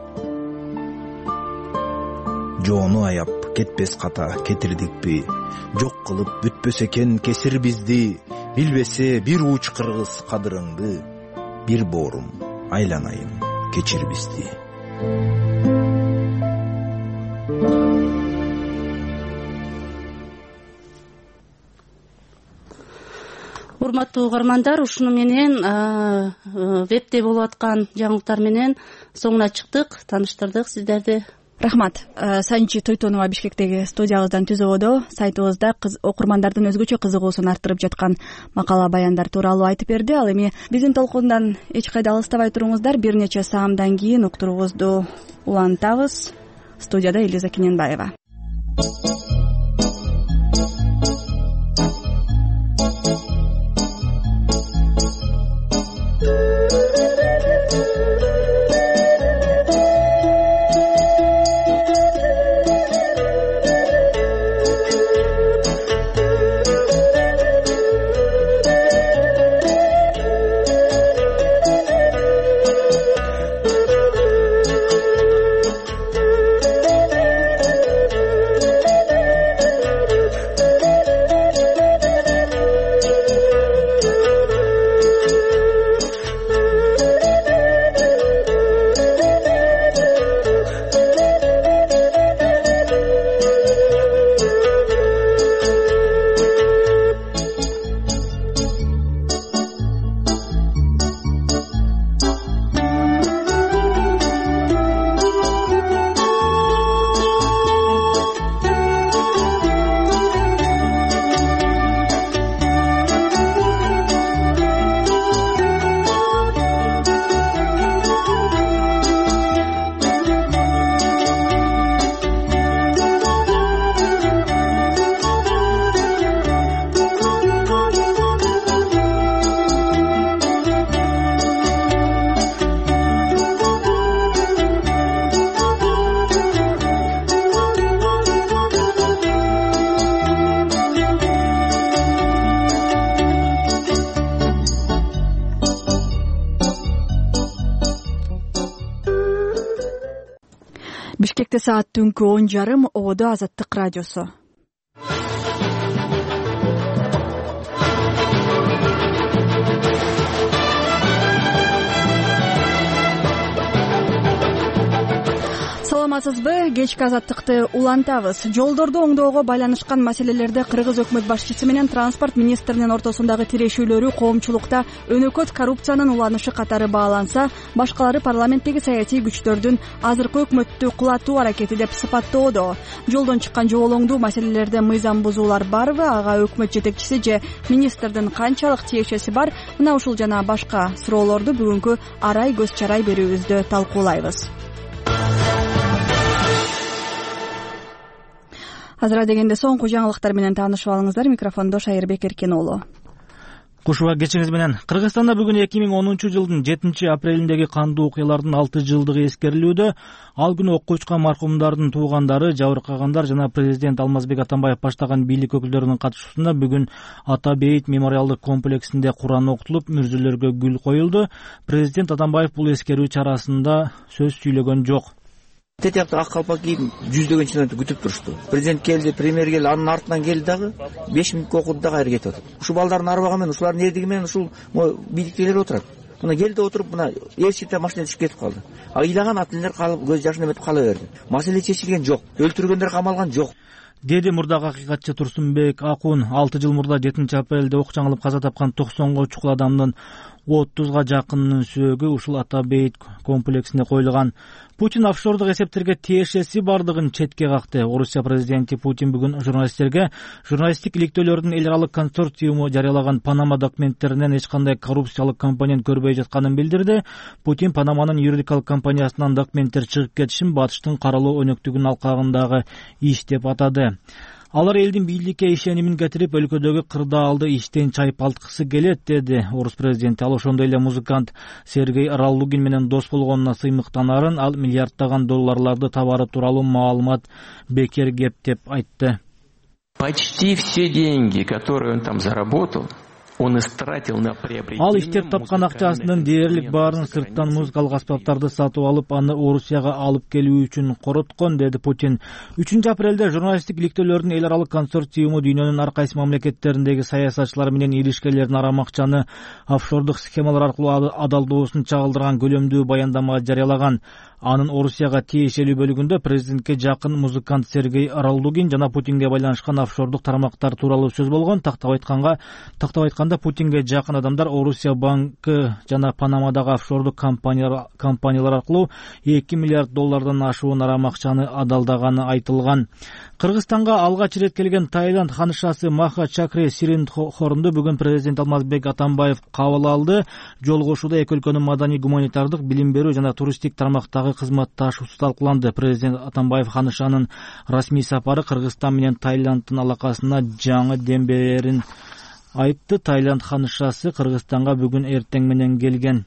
Жоону аяп кетпес ката кетирдикпи, жок кылып бүтпөс экен кесир бизди, билбесе бир уч кыргыз кадырыңды, бир боорум айланайын кечир бизди. Урматтуу угармандар, ушуну менен вебде болуп аткан жаңылыктар менен соңуна чыктык, тааныштырдык сиздерди. Рахмат. Санжи Туйтунова Бишкектеги студиябыздан түзөөдө сайтыбызда окурмандардын өзгөчө кызыгуусун арттырып жаткан макала баяндар тууралуу айтып берди. Ал эми биздин толкундан эч кайда алыстабай туруңуздар, бир нече саамдан кийин уктуруубузду улантабыз. Студияда Элиза Кененбаева. Бишкекте саат түнкү он жарым, ободо Азаттык радиосу. Саламатсызбы? Кечки Азаттыкты улантабыз. Жолдорду оңдоого байланышкан маселелерде Кыргыз өкмөт башчысы менен транспорт министринин ортосундагы тирешүүлөрү коомчулукта өнөкөт коррупциянын уланышы катары бааланса, башкалары парламенттеги саясий күчтөрдүн азыркы өкмөттү кулатуу аракети деп сыпаттоодо. Жолдон чыккан жоболоңдуу маселелерде мыйзам бузуулар барбы? Ага өкмөт жетекчиси же министрдин канчалык тиешеси бар? Мына ушул жана башка суроолорду бүгүнкү арай көз чарай берүүбүздө талкуулайбыз. Азыр дегенде соңку жаңылыктар менен таанышып алыңыздар. Микрофондо Шайырбек Эркен уулу. Кушуба кечиңиз менен. Кыргызстанда бүгүн эки миң онунчу жылдын жетинчи апрелиндеги кандуу окуялардын алты жылдыгы эскерилүүдө. Ал күнү окко учкан маркумдардын туугандары, жабыркагандар жана президент Алмазбек Атамбаев баштаган бийлик өкүлдөрүнүн катышуусунда бүгүн Ата Бейит мемориалдык комплексинде Куран окутулуп, мүрзөлөргө гүл коюлду. Президент Атамбаев бул эскерүү чарасында сөз сүйлөгөн жок. Тетиякты ак калпак кийип жүздөгөн чиновник күтүп турушту. Президент келди, премьер келди, анын артынан келди дагы беш мүнөткө окуду дагы кайра кетип атат. Ушул балдардын арбагы менен, ушулардын эрдиги менен ушул бийликтегилер отурат. Мына келди отуруп, мына элчите машинада түшүп кетип калды. Ыйлаган ата-энелер калып, көз жашын эметип кала берди. Маселе чечилген жок. Өлтүргөндөр камалган жок. Деди мурдагы акыйкатчы Турсунбек Акун. алты жыл мурда жетинчи апрелде ок жаңылып каза тапкан токсонго чукул адамдын отузга жакынынын сөөгү ушул Ата Бейит комплексинде коюлган. Путин офшордук эсептерге тиешеси бардыгын четке какты. Орусия президенти Путин бүгүн журналисттерге журналисттик иликтөөлөрдүн эл аралык консорциуму жарыялаган Панама документтеринен эч кандай коррупциялык компонент көрбөй жатканын билдирди. Путин Панаманын юридикалык компаниясынан документтер чыгып кетишин батыштын каралоо өнөктүгүнүн алкагындагы иш деп атады. Алар элдин бийликке ишенимин кетирип, өлкөдөгү кырдаалды иштен чайпалткысы келет, деди орус президенти. Ал ошондой эле музыкант Сергей Раллугин менен дос болгонуна сыймыктанарын, ал миллиарддаган долларларды табары тууралуу маалымат бекер кеп деп айтты. Почти все деньги, которые он там заработал, он истратил на приобретение. Ал иштеп тапкан акчасынын дээрлик баарын сырттан музыкалык аспаптарды сатып алып, аны Орусияга алып келүү үчүн короткон, деди Путин. үчүнчү апрелде журналисттик иликтөөлөрдүн эл аралык консорциуму дүйнөнүн ар кайсы мамлекеттериндеги саясатчылар менен иришкерлердин арам акчаны офшордук схемалар аркылуу адалдоосун чагылдырган көлөмдүү баяндама жарыялаган. Анын Орусияга тиешелүү бөлүгүндө президентке жакын музыкант Сергей Раллугин жана Путинге байланышкан офшордук тармактар тууралуу сөз болгон. Тактап айтканга, тактап айтканда Путинге жакын адамдар Орусия банкы жана Панамадагы офшордук компаниялар компаниялар аркылуу эки миллиард доллардан ашуун арам акчаны адалдаганы айтылган. Кыргызстанга алгач ирет келген Таиланд ханышасы Маха Чакре Сиринхорунду бүгүн президент Алмазбек Атамбаев кабыл алды. Жолугушууда эки өлкөнүн маданий, гуманитардык, билим берүү жана туристтик тармактагы кызматташуусу талкууланды. Президент Атамбаев ханышанын расмий сапары Кыргызстан менен Таиланддын алакасына жаңы дем берерин айтты. Таиланд ханышасы Кыргызстанга бүгүн эртең менен келген.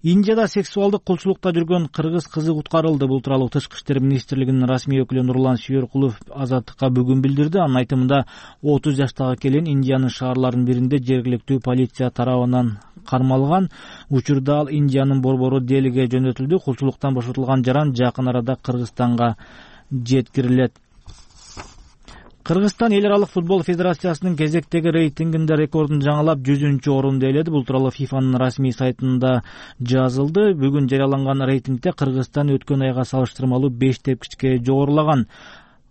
Индияда сексуалдык кулчулукта жүргөн кыргыз кызы куткарылды. Бул тууралуу Тышкы иштер министрлигинин расмий өкүлү Нурлан Сүйөркулов Азаттыкка бүгүн билдирди. Анын айтымында отуз жаштагы келин Индиянын шаарларынын биринде жергиликтүү полиция тарабынан кармалган. Учурда ал Индиянын борбору Делиге жөнөтүлдү. Кулчулуктан бошотулган жаран жакын арада Кыргызстанга жеткирилет. Кыргызстан эл аралык футбол федерациясынын кезектеги рейтингинде рекордун жаңылап жүзүнчү орунду ээледи. Бул тууралуу ФИФАнын расмий сайтында жазылды. Бүгүн жарыяланган рейтингде Кыргызстан өткөн айга салыштырмалуу беш тепкичке жогорулаган.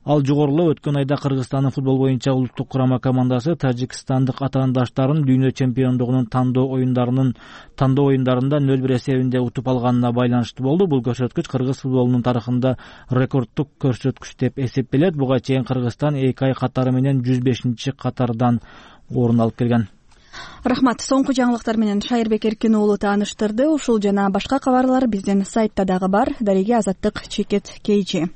Ал жогорулоо өткөн айда Кыргызстандын футбол боюнча улуттук курама командасы тажикстандык атаандаштарын дүйнө чемпиондугунун тандоо оюндарынын тандоо оюндарында нөл бир эсебинде утуп алганына байланыштуу болду. Бул көрсөткүч кыргыз футболунун тарыхында рекорддук көрсөткүч деп эсептелет. Буга чейин Кыргызстан эки ай катары менен жүз бешинчи катардан орун алып келген. Рахмат. Соңку жаңылыктар менен Шайырбек Эркен уулу тааныштырды. Ушул жана башка кабарлар биздин сайтта дагы бар. Дареги Азаттык чекит кейжи.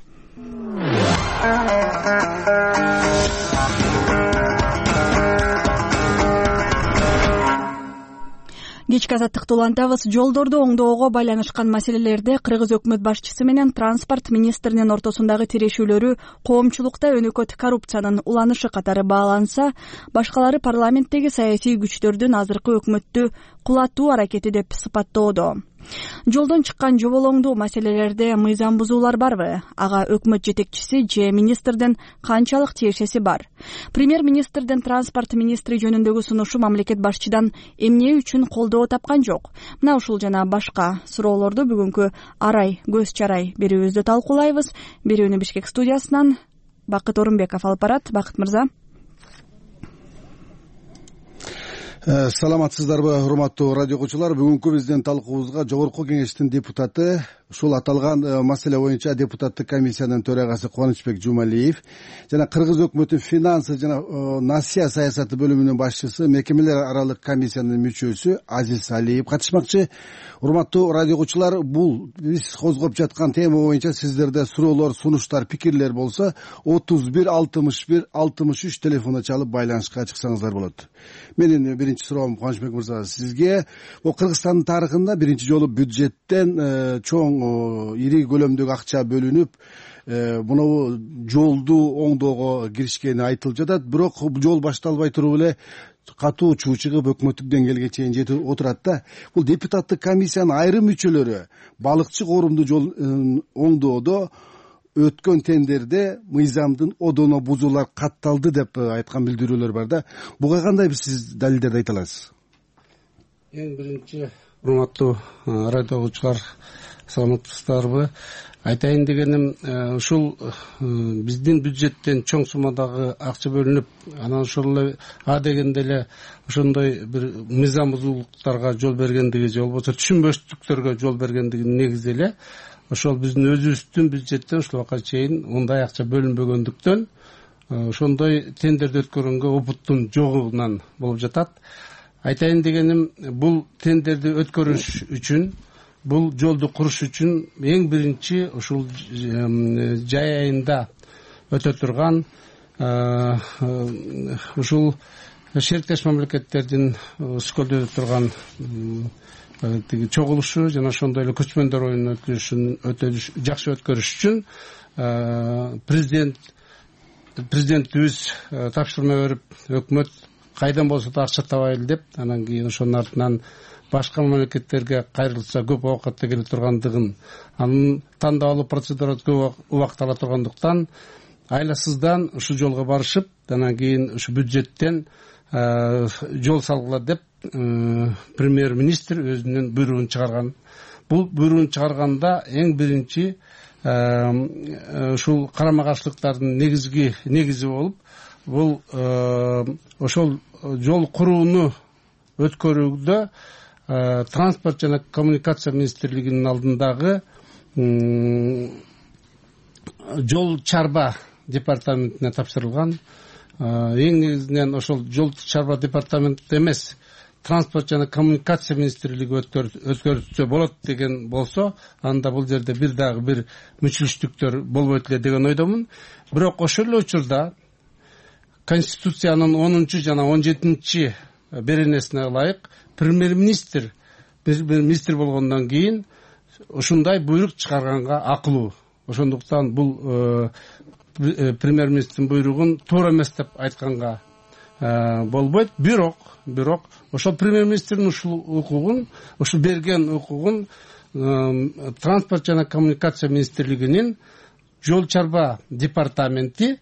Кечки Азаттыкты улантабыз. Жолдорду оңдоого байланышкан маселелерде Кыргыз өкмөт башчысы менен транспорт министринин ортосундагы тирешүүлөрү коомчулукта өнөкөт коррупциянын уланышы катары бааланса, башкалары парламенттеги саясий күчтөрдүн азыркы өкмөттү кулатуу аракети деп сыпаттоодо. Жолдон чыккан жоболоңдуу маселелерде мыйзам бузуулар барбы? Ага өкмөт жетекчиси же министрдин канчалык тиешеси бар? Премьер-министрдин транспорт министри жөнүндөгү сунушу мамлекет башчыдан эмне үчүн колдоо тапкан жок? Мына ушул жана башка суроолорду бүгүнкү арай көз чарай берүүбүздө талкуулайбыз. Берүүнү Бишкек студиясынан Бакыт Орунбеков алып барат. Бакыт мырза. Саламатсыздарбы, урматтуу радио окуучулар? Бүгүнкү биздин талкуубузга жогорку кеңештин депутаты, ушул аталган маселе боюнча депутаттык комиссиянын төрагасы Кубанычбек Жумалиев жана Кыргыз өкмөтүнүн финансы жана насыя саясаты бөлүмүнүн башчысы, мекемелер аралык комиссиянын мүчөсү Азиз Алиев катышмакчы. Урматтуу радио окуучулар, бул биз козгоп жаткан тема боюнча сиздерде суроолор, сунуштар, пикирлер болсо отуз бир алтымыш бир алтымыш үч телефону чалып байланышка чыксаңыздар болот. Менин биринчи суроом Кубанычбек мырза сизге. Бул Кыргызстандын тарыхында биринчи жолу бюджеттен чоң ири көлөмдөгү акча бөлүнүп, мына жолду оңдоого киришкени айтылып жатат. Бирок жол башталбай туруп эле катуу чуу чыгып өкмөттүк деңгээлге чейин жетип отурат да. Бул депутаттык комиссиянын айрым мүчөлөрү балыкчы коорумду жол оңдоодо өткөн тендерде мыйзамдын одоно бузуулар катталды деп айткан билдирүүлөр бар да. Буга кандай сиз далилдерди айта аласыз? Эң биринчи, урматтуу радио окуучулар, саламатсыздарбы? Айтайын дегеним, ушул биздин бюджеттен чоң суммадагы акча бөлүнүп, анан ошол эле а дегенде эле ошондой бир мыйзам бузуулуктарга жол бергендиги же болбосо түшүнбөстүктөргө жол бергендигинин негизи эле ошол биздин өзүбүздүн бюджеттен ушул убакка чейин мындай акча бөлүнбөгөндүктөн ошондой тендерди өткөргөнгө опыттун жогунан болуп жатат. Айтайын дегеним, бул тендерди өткөрүш үчүн, бул жолду куруш үчүн эң биринчи ушул жай айында өтө турган ушул шериктеш мамлекеттердин Сколдо өтө турган тиги чогулушу жана ошондой эле көчмөндөр оюнун өткөрүшүн өтө жакшы өткөрүш үчүн президент президентибиз тапшырма берип, өкмөт кайдан болсо да акча табайлы деп, анан кийин ошонун артынан башка мамлекеттерге кайрылса көп убакытта келе тургандыгын, анын тандап алуу процедурасы көп убакыт ала тургандыктан айласыздан ушул жолго барышып, анан кийин ушу бюджеттен жол салгыла деп премьер-министр өзүнүн буйругун чыгарган. Бул буйругун чыгарганда эң биринчи ушул карама каршылыктардын негизги негизи болуп, бул ошол жол курууну өткөрүүдө транспорт жана коммуникация министрлигинин алдындагы жол чарба департаментине тапшырылган. Эң негизинен ошол жол чарба департаменти эмес, транспорт жана коммуникация министрлиги өткөрүлсө болот деген болсо, анда бул жерде бир дагы бир мүчүлүштүктөр болбойт эле деген ойдомун. Бирок ошол эле учурда Конституциянын онунчу жана он жетинчи беренесине ылайык премьер-министр министр болгондон кийин ушундай буйрук чыгарганга акылуу. Ошондуктан бул премьер-министрдин буйругун туура эмес деп айтканга болбойт. Бирок, бирок ошол премьер-министрдин ушул укугун, ушул берген укугун транспорт жана коммуникация министрлигинин жол чарба департаменти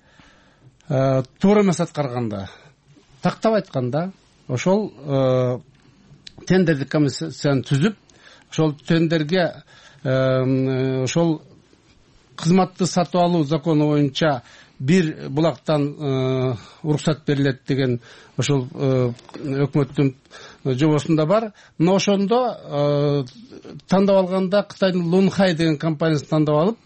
туура эмес аткарганда, тактап айтканда, ошол тендердик комиссияны түзүп, ошол тендерге ошол кызматты сатып алуу закону боюнча бир булактан уруксат берилет деген ошол өкмөттүн жобосунда бар. Но ошондо тандап алганда Кытайдын Лунхай деген компаниясын тандап алып,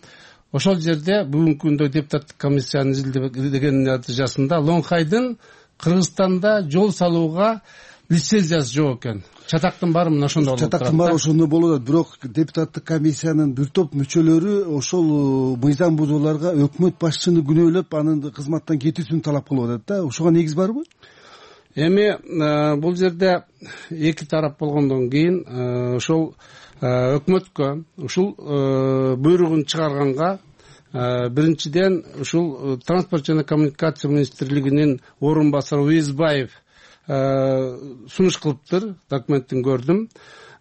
ошол жерде бүгүнкү күндө депутаттык комиссиянын изилдеген натыйжасында Лунхайдын Кыргызстанда жол салууга лицензиясы жок экен. Чатактын баары мына ошондо болот. Чатактын баары ошондо болот. Бирок депутаттык комиссиянын бир топ мүчөлөрү ошол мыйзам бузууларга өкмөт башчыны күнөөлөп, анын кызматтан кетүүсүн талап кылып атат да. Ошого негиз барбы? Эми бул жерде эки тарап болгондон кийин ошол өкмөткө ушул буйругун чыгарганга биринчиден ушул транспорт жана коммуникация министрлигинин орун басары Уезбаев сунуш кылыптыр, документтин көрдүм.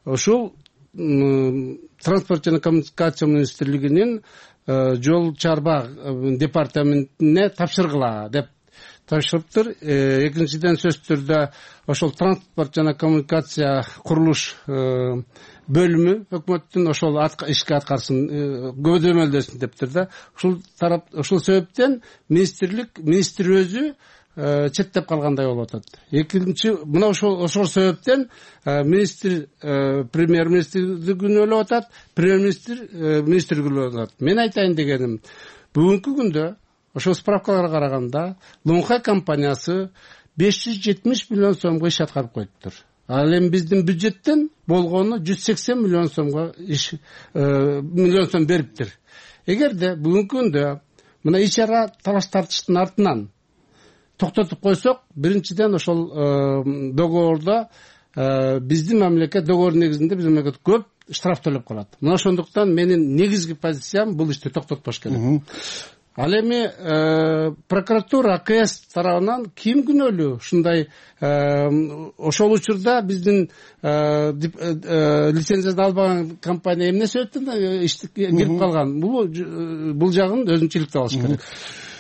Ошол транспорт жана коммуникация министрлигинин жол чарба департаментине тапшыргыла деп тапшырыптыр. Экинчиден сөзсүз түрдө ошол транспорт жана коммуникация курулуш бөлүмү өкмөттүн ошол ишке аткарсын, көзөмөлдөсүн дептир да. Ушул тарап ушул себептен министрлик министр өзү четтеп калгандай болуп атат. Экинчи мына ошол ошол себептен министр премьер-министрди күнөөлөп атат, премьер-министр министрди күнөөлөп атат. Мен айтайын дегеним, бүгүнкү күндө ошол справкаларга караганда Лонгхай компаниясы беш жүз жетимиш миллион сомго иш аткарып коюптур. Ал эми биздин бюджеттен болгону жүз сексен миллион сомго иш миллион сом бериптир. Эгерде бүгүнкү күндө мына ич-чара талаш тартыштын артынан токтотуп койсок, биринчиден ошол договордо биздин мамлекет договор негизинде биздин мамлекет көп штраф төлөп калат. Мына ошондуктан менин негизги позициям бул ишти токтотпош керек. Ал эми прокуратура, АКС тарабынан ким күнөөлүү? Ушундай ошол учурда биздин лицензиясын албаган компания эмне себептен ишти кирип калган? Бул бул жагын өзүнчөлүктүү алыш керек.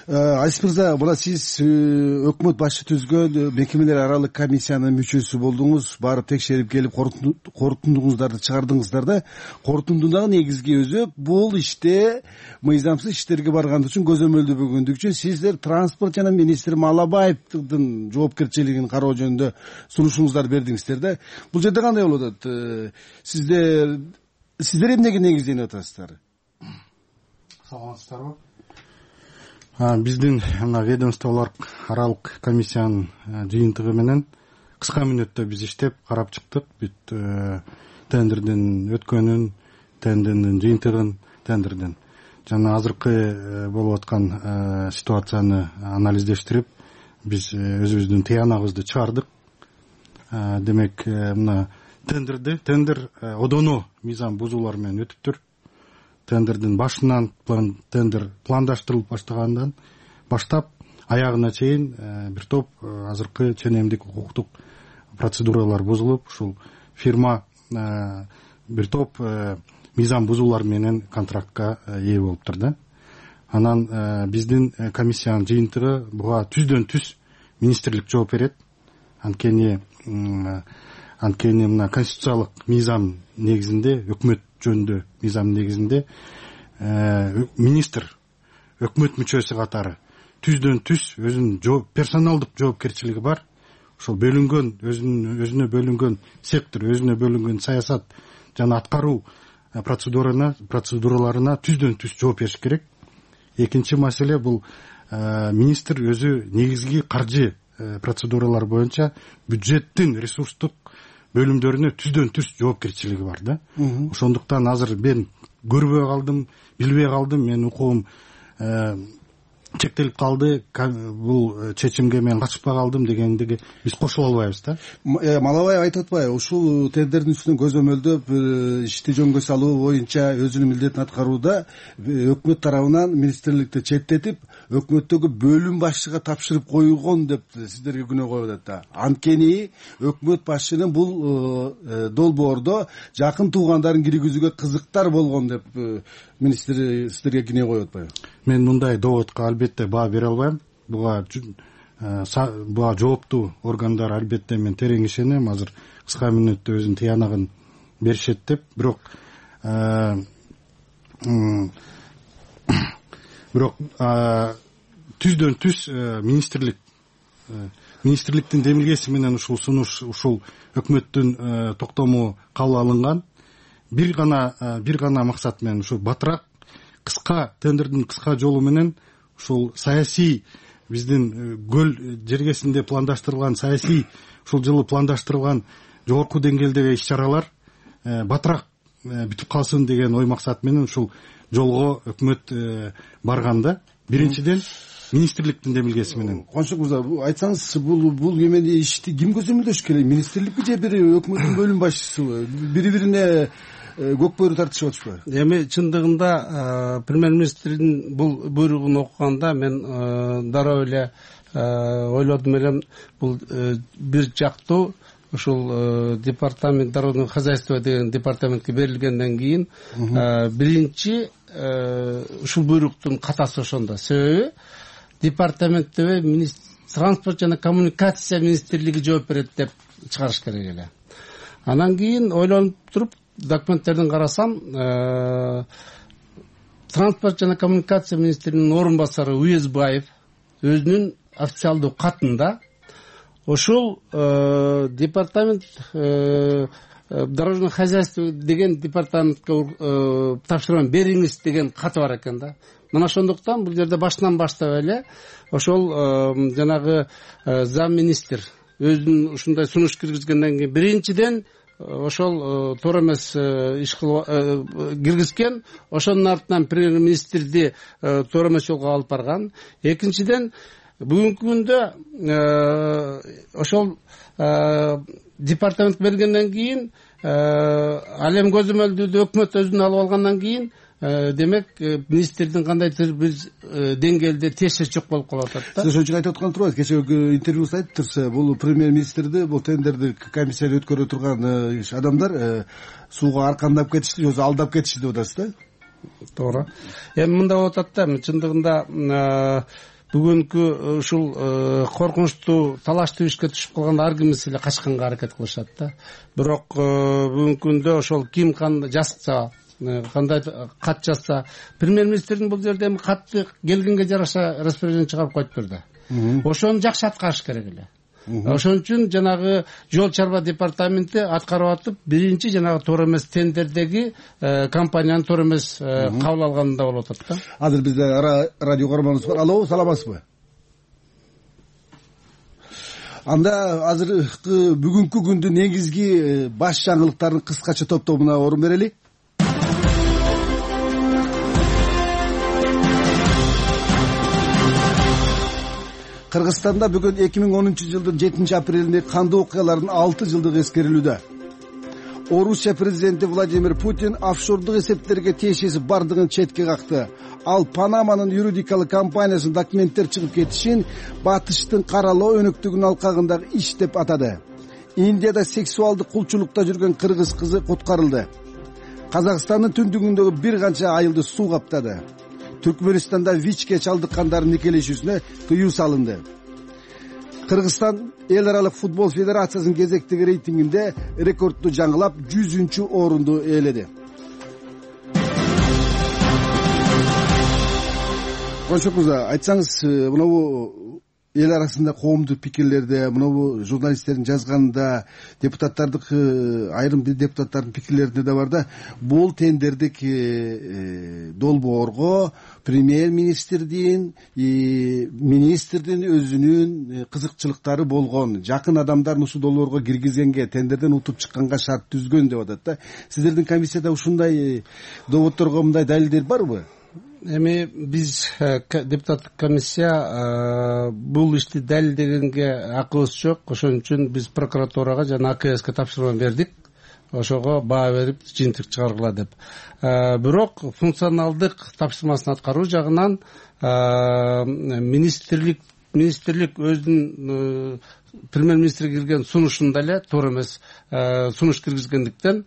Азиз мырза, мына сиз өкмөт башы түзгөн мекемелер аралык комиссиянын мүчөсү болдуңуз, барып текшерип келип корутундуңуздарды чыгардыңыздар да. Корутундунун негизги өзү бул иште мыйзамсыз иштерге барган үчүн көзөмөлдөнбөгөндүгү үчүн сиздер транспорт жана министр Малабаевдин жоопкерчилигин кароо жөнүндө сунушуңуздарды бердиңиздер да. Бул жерде кандай болуп атат? Сиздер сиздер эмнеге негизденип атасыздар? Саламатсыздарбы? Биздин мына ведомстволор аралык комиссиянын жыйынтыгы менен кыска мүнөттө биз иштеп карап чыктык. Бүт тендердин өткөнүн, тендердин жыйынтыгын, тендердин жана азыркы болуп аткан ситуацияны анализдештирип, биз өзүбүздүн тыянагыбызды чыгардык. Демек, мына тендерди, тендер одоно мыйзам бузуулар менен өтүптүр. Тендердин башынан тендер пландаштырылып баштагандан баштап аягына чейин бир топ азыркы ченемдик укуктук процедуралар бузулуп, ушул фирма бир топ мыйзам бузуулар менен контрактка ээ болуптур да. Анан биздин комиссиянын жыйынтыгы буга түздөн түз министрлик жооп берет. Анткени анткени мына конституциялык мыйзам негизинде, өкмөт жөнүндө мыйзам негизинде министр өкмөт мүчөсү катары түздөн түз өзүнүн персоналдык жоопкерчилиги бар. Ошол бөлүнгөн өзүнүн өзүнө бөлүнгөн сектор, өзүнө бөлүнгөн саясат жана аткаруу процедураларына процедураларына түздөн түз жооп бериш керек. Экинчи маселе бул министр өзү негизги каржы процедуралар боюнча бюджеттин ресурстук бөлүмдөрүнө түздөн түз жоопкерчилиги бар да. Ошондуктан азыр мен көрбөй калдым, билбей калдым, менин укугум чектелип калды, бул чечимге мен катышпай калдым дегендеги биз кошула албайбыз да. Малабаев айтып атпайбы, ушул тендердин үстүнөн көзөмөлдөп ишти жөнгө салуу боюнча өзүнүн милдетин аткарууда өкмөт тарабынан министрликти четтетип, өкмөттөгү бөлүм башчыга тапшырып коюлгон деп сиздерге күнөө коюп атат да. Анткени өкмөт башчынын бул долбоордо жакын туугандарын киргизүүгө кызыктар болгон деп министр сиздерге күнөө коюп атпайбы? Мен мындай доводко албетте баа бере албайм. Буга буга жооптуу органдар албетте мен терең ишенем. Азыр кыска мүнөттө өзүнүн тыянагын беришет деп, бирок бирок түздөн түз министрлик министрликтин демилгеси менен ушул сунуш, ушул өкмөттүн токтому кабыл алынган. Бир гана бир гана максат менен, ушу батыраак кыска тендердин кыска жолу менен ушул саясий биздин көл жергесинде пландаштырылган саясий ушул жылы пландаштырылган жогорку деңгээлдеги иш-чаралар батыраак бүтүп калсын деген ой максат менен ушул жолго өкмөт барган да. Биринчиден министрликтин демилгеси менен. Коншок мырза, айтсаңыз, бул бул эмени ишти ким көзөмөлдөш керек? Министрликпи же бир өкмөттүн бөлүм башчысыбы? Бири-бирине көк бөрү тартышып атышпайбы? Эми чындыгында премьер-министрдин бул буйругун окуганда мен дароо эле ойлодум элем, бул бир жактуу ушул департамент дорожного хозяйства деген департаментке берилгенден кийин биринчи ушул буйруктун катасы ошондо. Себеби департаментте транспорт жана коммуникация министрлиги жооп берет деп чыгарыш керек эле. Анан кийин ойлонуп туруп документтердин карасам, транспорт жана коммуникация министринин орун басары Уезбаев өзүнүн официалдуу катында ошол департамент дорожное хозяйство деген департаментке тапшырма бериңиз деген каты бар экен да. Мына ошондуктан бул жерде башынан баштап эле ошол жанагы зам министр өзүнүн ушундай сунуш киргизгенден кийин биринчиден ошол туура эмес иш киргизген, ошонун артынан премьер министрди туура эмес жолго алып барган. Экинчиден бүгүнкү күндө ошол департамент бергенден кийин ал эми көзөмөлдүүдө өкмөт өзүнө алып алгандан кийин демек министрдин кандайдыр бир деңгээлде тиешечлик болуп калып атат да. Сиз ошон үчүн айтып аткан турбайсыз. Кечеги интервьюсунда айтыптырсыз, бул премьер министрди, бул тендерди комиссияны өткөрө турган адамдар сууга аркандап кетишти, же алдап кетишти деп атасыз да? Туура. Эми мындай болуп атат да, чындыгында бүгүнкү ушул коркунучтуу талаштуу ишке түшүп калганда ар кимис эле качканга аракет кылышат да. Бирок бүгүнкү күндө ошол ким кандай жазса, кандай кат жазса, премьер министрдин бул жерде эми катты келгенге жараша распоряжение чыгарып коюп берди. Ошону жакшы аткарыш керек эле. Ошон үчүн жанагы жол чарба департаменти аткарып атып, биринчи жанагы туура эмес тендердеги компанияны туура эмес кабыл алганда болуп атат да. Азыр бизде радио көрөрманыбыз бар. Алло, саламатсызбы? Анда азыркы бүгүнкү күндүн негизги баш жаңылыктарын кыскача топтомуна орун берели. Кыргызстанда бүгүн эки миң онунчу жылдын жетинчи апрелинде кандуу окуялардын алты жылдыгы эскерилүүдө. Орусия президенти Владимир Путин офшордук эсептерге тиешеси бардыгын четке какты. Ал Панаманын юридикалык компаниясынын документтер чыгып кетишин батыштын каралоо өнөктүгүнүн алкагындагы иш деп атады. Индияда сексуалдык кулчулукта жүргөн кыргыз кызы куткарылды. Казакстандын түндүгүндөгү бир канча айылды суу каптады. Түркмөнстанда ВИЧке чалдыккандардын никелешүүсүнө тыюу салынды. Кыргызстан эл аралык футбол федерациясынын кезектеги рейтингинде рекордду жаңылап жүзүнчү орунду ээледи. Коншок мырза, айтсаңыз, мынабу эл арасында коомдук пикирлерде, мынабу журналисттердин жазганында, депутаттардын айрым бир депутаттардын пикирлеринде да бар да, бул тендердик долбоорго премьер министрдин, министрдин өзүнүн кызыкчылыктары болгон, жакын адамдарын ушул долбоорго киргизгенге, тендерден утуп чыкканга шарт түзгөн деп атат да. Сиздердин комиссияда ушундай доводторго мындай далилдер барбы? Эми биз депутаттык комиссия бул ишти далилдегенге акыбыз жок. Ошон үчүн биз прокуратурага жана А К Ске тапшырма бердик. Ошого баа берип жыйынтык чыгаргыла деп. Бирок функционалдык тапшырмасын аткаруу жагынан министрлик министрлик өзүнүн премьер министрге кирген сунушунда эле туура эмес сунуш киргизгендиктен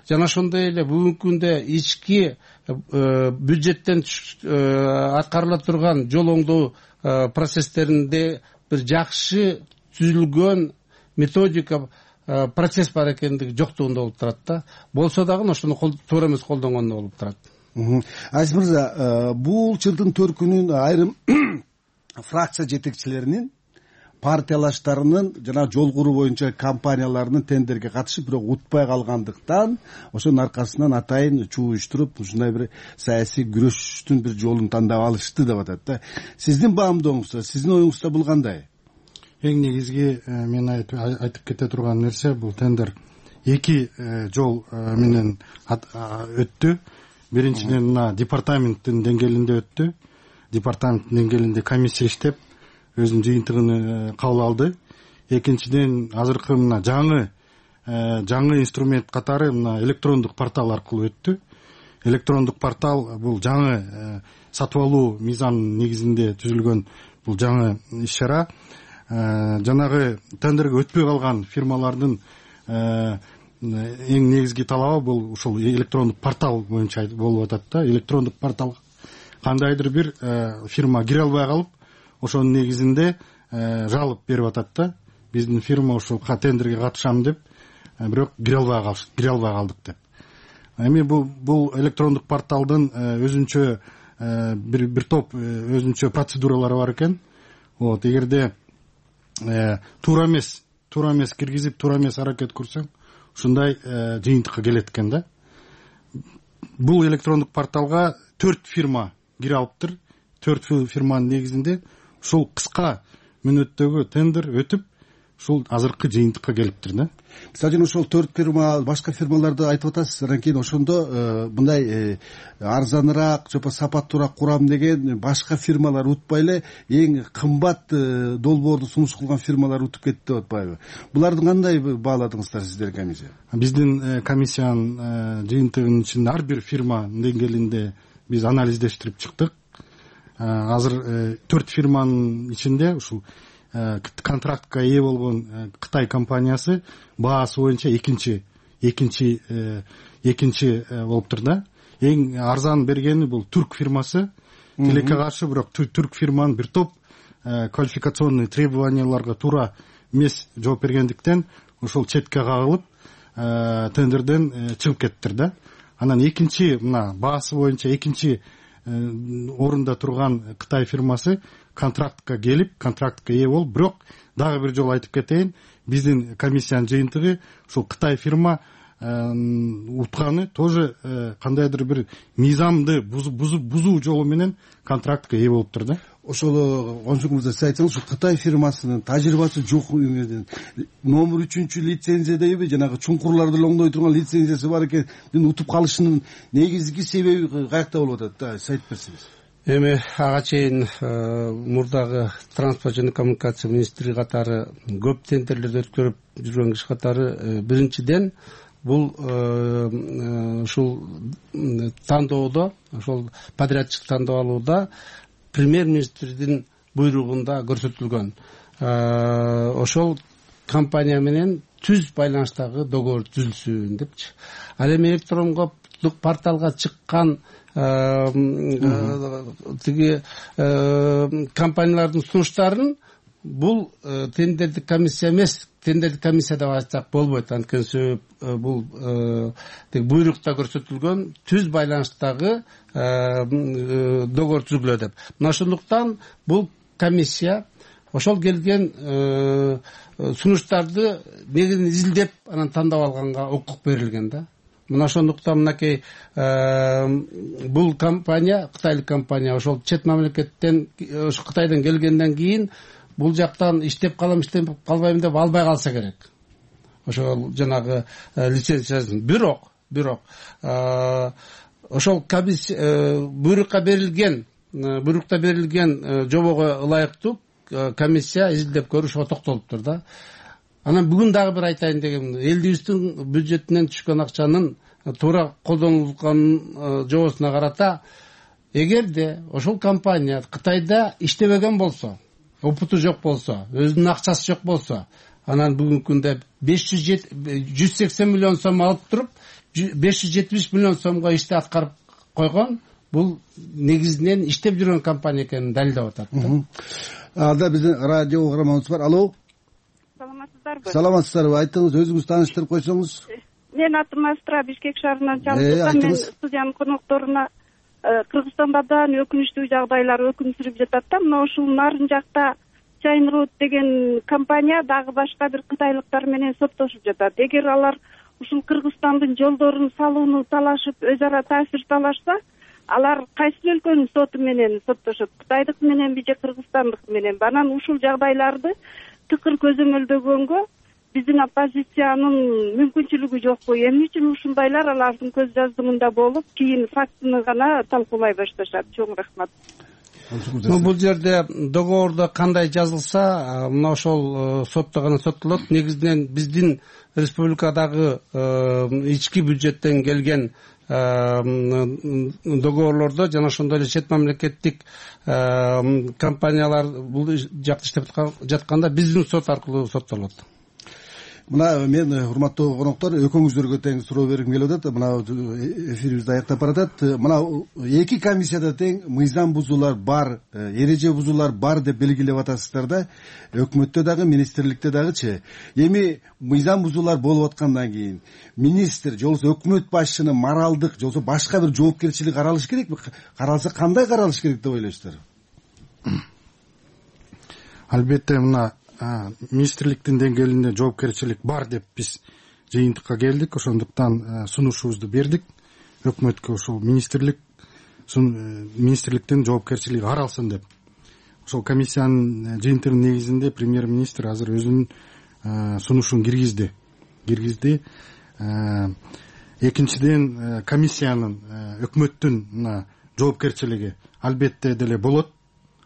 жана ошондой эле бүгүнкү күндө ички бюджеттен аткарыла турган жол оңдоо процесстеринде бир жакшы түзүлгөн методика процесс бар экендиги жоктугунда болуп турат да. Болсо дагы ошону туура эмес колдонгондо болуп турат. Азиз мырза, бул жылдын төркүнүн айрым фракция жетекчилеринин партиялаштарынын жана жол куруу боюнча компанияларынын тендерге катышып бирок утпай калгандыктан ошонун аркасынан атайын чуу уюштуруп ушундай бир саясий күрөштүн бир жолун тандап алышты деп атат да. Сиздин баамдооңузда, сиздин оюңузда бул кандай? Эң негизги мен айтып кете турган нерсе, бул тендер эки жол менен өттү. Биринчиден мына департаменттин деңгээлинде өттү. Департаменттин деңгээлинде комиссия иштеп өзүнүн жыйынтыгын кабыл алды. Экинчиден азыркы мына жаңы жаңы инструмент катары мына электрондук портал аркылуу өттү. Электрондук портал бул жаңы сатып алуу мыйзамынын негизинде түзүлгөн бул жаңы иш чара. Жанагы тендерге өтпөй калган фирмалардын эң негизги талабы бул ушул электрондук портал боюнча болуп атат да. Электрондук порталга кандайдыр бир фирма кире албай калып, ошонун негизинде жалоба берип атат да. Биздин фирма ушул тендерге катышам деп, бирок кире албай калдык, кире албай калдык деп. Эми бул бул электрондук порталдын өзүнчө бир бир топ өзүнчө процедуралары бар экен. Вот, эгерде туура эмес, туура эмес киргизип, туура эмес аракет курсаң, ушундай жыйынтыкка келет экен да. Бул электрондук порталга төрт фирма кире алыптыр. Төрт фирманын негизинде ушул кыска мүнөттөгү тендер өтүп, ушул азыркы жыйынтыкка келиптир да. Мисалы үчүн ошол төрт фирма, башка фирмаларды айтып атасыз, анан кийин ошондо мындай арзаныраак, жопо сапаттуураак курам деген башка фирмалар утпай эле эң кымбат долбоорду сунуш кылган фирмалар утуп кетти деп атпайбы? Буларды кандай бааладыңыздар сиздер комиссия? Биздин комиссиянын жыйынтыгынын ичинде ар бир фирма деңгээлинде биз анализдештирип чыктык. Азыр төрт фирманын ичинде ушул контрактка ээ болгон Кытай компаниясы баасы боюнча экинчи экинчи экинчи болуптур да. Эң арзан бергени бул түрк фирмасы. Тилекке каршы, бирок түрк фирманын бир топ квалификационный требованияларга туура эмес жооп бергендиктен ушул четке кагылып тендерден чыгып кеттир да. Анан экинчи мына баасы боюнча экинчи орунда турган Кытай фирмасы контрактка келип, контрактка ээ болуп, бирок дагы бир жолу айтып кетейин, биздин комиссиянын жыйынтыгы ушул Кытай фирма утканы тоже кандайдыр бир мыйзамды бузуу жолу менен контрактка ээ болуптур да. Ошол ончуңузда сиз айтсаңыз, ушу Кытай фирмасынын тажрыйбасы жок, номер үчүнчү лицензиядеби, жанагы чуңкурларды оңдой турган лицензиясы бар экен, утуп калышынын негизги себеби каякта болуп атат да, сиз айтып берсеңиз. Эми ага чейин мурдагы транспорт жана коммуникация министри катары көп тендерлерди өткөрүп жүргөн киши катары биринчиден бул ушул тандоодо, ошол подрядчик тандап алууда премьер-министрдин буйругунда көрсөтүлгөн ошол компания менен түз байланыштагы договор түзүлсүн депчи. Ал эми электрондук порталга чыккан тиги компаниялардын сунуштарын бул тендердик комиссия эмес, тендердик комиссия деп айтсак болбойт. Анткени себеп бул буйрукта көрсөтүлгөн түз байланыштагы договор түзүлгүлө деп. Мына ошондуктан бул комиссия ошол келген сунуштарды негизин изилдеп, анан тандап алганга укук берилген да. Мына ошондуктан мынакей бул компания, кытайлык компания, ошол чет мамлекеттен, ошо Кытайдан келгенден кийин бул жактан иштеп калам, иштеп калбайм деп албай калса керек. Ошол жанагы лицензиясын. Бирок, бирок ошол буйрукка берилген, буйрукта берилген жобого ылайыктуу комиссия изилдеп көрүп ошого токтолуптур да. Анан бүгүн дагы бир айтайын дегем, элибиздин бюджетинен түшкөн акчанын туура колдонулганын жобосуна карата, эгерде ошол компания Кытайда иштебеген болсо, опыту жок болсо, өзүнүн акчасы жок болсо, анан бүгүнкү күндө жүз сексен миллион сом алып туруп, беш жүз жетимиш миллион сомго ишти аткарып койгон, бул негизинен иштеп жүргөн компания экенин далилдеп атат да. Алда биздин радио угарманыбыз бар. Алло. Саламатсыздарбы? Саламатсыздарбы. Айтыңыз, өзүңүз тааныштырып койсоңуз. Мен атым Астра, Бишкек шаарынан чалып атам. Мен студиянын конокторуна Кыргызстанда да өкүнүчтүү жагдайлар өкүм сүрүп жатат да. Мына ушул нарын жакта Chainroad деген компания дагы башка бир кытайлыктар менен соттошуп жатат. Эгер алар ушул Кыргызстандын жолдорун салууну талашып, өз ара таасир талашса, алар кайсы өлкөнүн соту менен соттошот? Кытайдык мененби же Кыргызстандык мененби? Анан ушул жагдайларды тыкыр көзөмөлдөгөнгө биздин оппозициянын мүмкүнчүлүгү жокпу? Эмне үчүн ушундайлар алардын көз жаздыгында болуп, кийин фактыны гана талкуулай башташат? Чоң рахмат. Бул жерде договордо кандай жазылса, мына ошол сотто гана соттолот. Негизинен биздин республикадагы ички бюджеттен келген договорлордо жана ошондой эле чет мамлекеттик компаниялар бул жакта иштеп жатканда биздин сот аркылуу соттолот. мына мен урматтуу коноктор экөөңүздөргө тең суроо бергим келип атат. Мына эфирибизди аяктап баратат. Мына эки комиссияда тең мыйзам бузуулар бар, эреже бузуулар бар деп белгилеп атасыздар да. Өкмөттө дагы, министрликте дагычы. Эми мыйзам бузуулар болуп аткандан кийин министр же болбосо өкмөт башчынын моралдык же болбосо башка бир жоопкерчилиги каралыш керекпи? Каралса кандай каралыш керек деп ойлойсуздар? Албетте мына министрликтин деңгээлинде жоопкерчилик бар деп биз жыйынтыкка келдик. Ошондуктан сунушубузду бердик өкмөткө, ушул министрлик министрликтин жоопкерчилиги каралсын деп. Ошол комиссиянын жыйынтыгынын негизинде премьер-министр азыр өзүнүн сунушун киргизди. Киргизди. Экинчиден, комиссиянын өкмөттүн мына жоопкерчилиги албетте деле болот.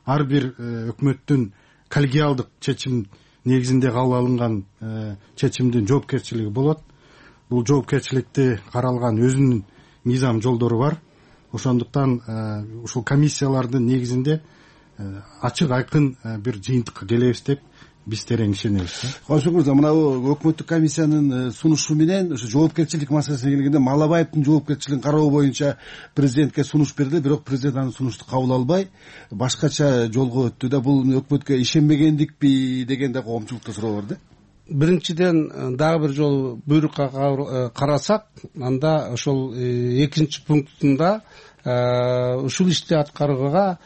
Ар бир өкмөттүн коллегиалдык чечим негизинде кабыл алынган чечимдин жоопкерчилиги болот. Бул жоопкерчиликти каралган өзүнүн мыйзам жолдору бар. Ошондуктан ушул комиссиялардын негизинде ачык айкын бир жыйынтыкка келебиз деп биз терең ишенебиз. Коңшуң мырза, мына өкмөттүк комиссиянын сунушу менен ошо жоопкерчилик маселесине келгенде Малабаевдин жоопкерчилигин кароо боюнча президентке сунуш берди, бирок президент анын сунушту кабыл албай башкача жолго өттү да. Бул өкмөткө ишенбегендикпи деген да коомчулукта суроо бар да. Биринчиден дагы бир жолу буйрукка карасак, анда ошол экинчи пунктунда ушул ишти аткарууга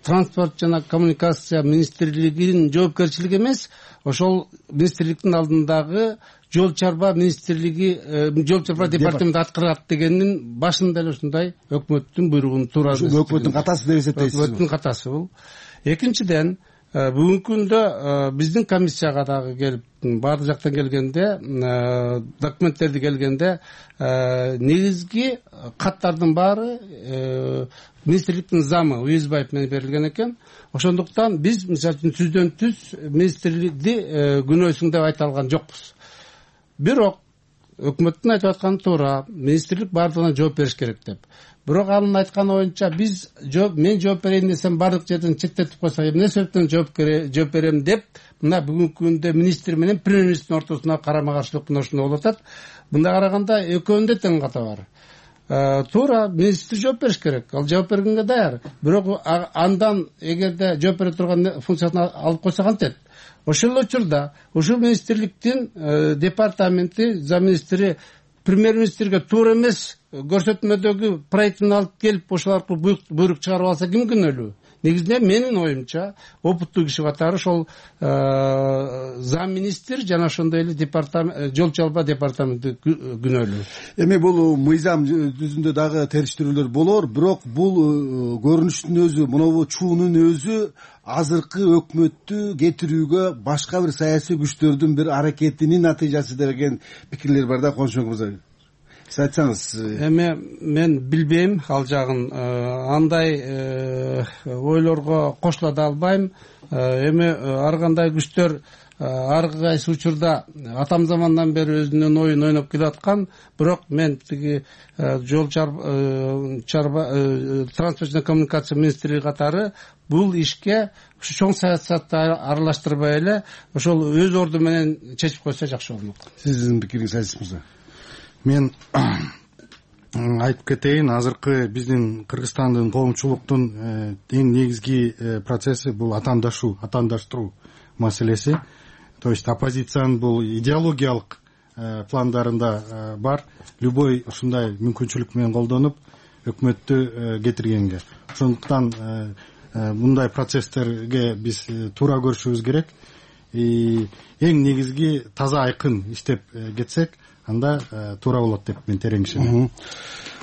транспорт жана коммуникация министрлигинин жоопкерчилиги эмес, ошол министрликтин алдындагы жол чарба министрлиги, жол чарба департаменти аткарат дегендин башында эле ушундай өкмөттүн буйругун туура өкмөттүн катасы деп эсептейсиз. Өкмөттүн катасы бул. Экинчиден, бүгүнкү күндө биздин комиссияга дагы келип баардык жактан келгенде, документтерди келгенде негизги каттардын баары министрликтин замы Уюзбаев менен берилген экен. Ошондуктан биз мисалы үчүн түздөн түз министрликти күнөөсүң деп айта алган жокпуз. Бирок өкмөттүн айтып атканы туура, министрлик баардыгына жооп бериш керек деп. Бирок анын айтканы боюнча биз жооп мен жооп берейин десем баардык жерден четтетип койсок, эмне себептен жооп берем деп мына бүгүнкү күндө министр менен премьер-министрдин ортосуна карама-каршылык мына ушундай болуп атат. Мындай караганда экөөнүндө тең ката бар. Туура, министр жооп бериш керек. Ал жооп бергенге даяр. Бирок андан эгерде жооп бере турган функциясын алып койсо кантет? Ошол учурда ушул министрликтин департаменти замминистри премьер-министрге туура эмес көрсөтмөдөгү проектин алып келип ошол аркылуу буйрук чыгарып алса ким күнөөлүү? Негизинен менин оюмча опыттуу киши катары ошол замминистр жана ошондой эле департамент жол чалба департаменти күнөөлүү. Эми бул мыйзам жүзүндө дагы териштирүүлөр болор, бирок бул көрүнүштүн өзү, мынабу чуунун өзү азыркы өкмөттү кетирүүгө башка бир саясий күчтөрдүн бир аракетинин натыйжасы деген пикирлер бар да. Коңшуң мырза, сиз айтсаңыз. Эми мен билбейм ал жагын, андай ойлорго кошула да албайм. Эми ар кандай күчтөр ар кайсы учурда атам замандан бери өзүнүн оюн ойноп келаткан, бирок мен тиги жол чарба транспорт жана коммуникация министрлиги катары бул ишке ушу чоң саясатты аралаштырбай эле ошол өз орду менен чечип койсо жакшы болмок. Сиздин пикириңиз Азиз мырза? Мен айтып кетейин, азыркы биздин Кыргызстандын коомчулуктун эң негизги процесси бул атаандашуу, атаандаштыруу маселеси. То есть оппозициянын бул идеологиялык пландарында бар, любой ушундай мүмкүнчүлүк менен колдонуп өкмөттү кетиргенге. Ошондуктан мындай процесстерге биз туура көрүшүбүз керек. Эң негизги таза айкын иштеп кетсек, анда туура болот деп мен терең ишенем.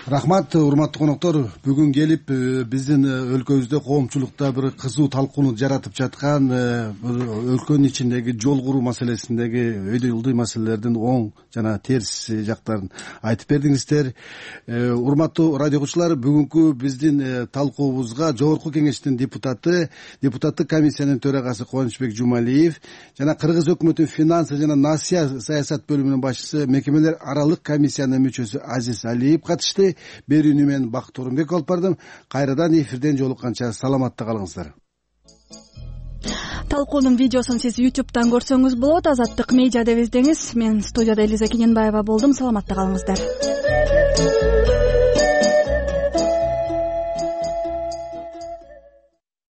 Рахмат, урматтуу коноктор. Бүгүн келип биздин өлкөбүздө коомчулукта бир кызуу талкууну жаратып жаткан өлкөнүн ичиндеги жол куруу маселесиндеги өйдө ылдый маселелердин оң жана терс жактарын айтып бердиңиздер. Урматтуу радио угуучулар, бүгүнкү биздин талкуубузга Жогорку Кеңештин депутаты, депутаттык комиссиянын төрагасы Кубанычбек Жумалиев жана Кыргыз өкмөтүнүн финансы жана насыя саясат бөлүмүнүн башчысы, мекемелер аралык комиссиянын мүчөсү Азиз Алиев катышты. Берүүнү мен Бакыт Орунбек алып бардым. Кайрадан эфирден жолукканча саламатта калыңыздар. талкуунун видеосун сиз ютубтан көрсөңүз болот. Азаттык медиа деп издеңиз. Мен студияда Элиза Кененбаева болдум. Саламатта калыңыздар.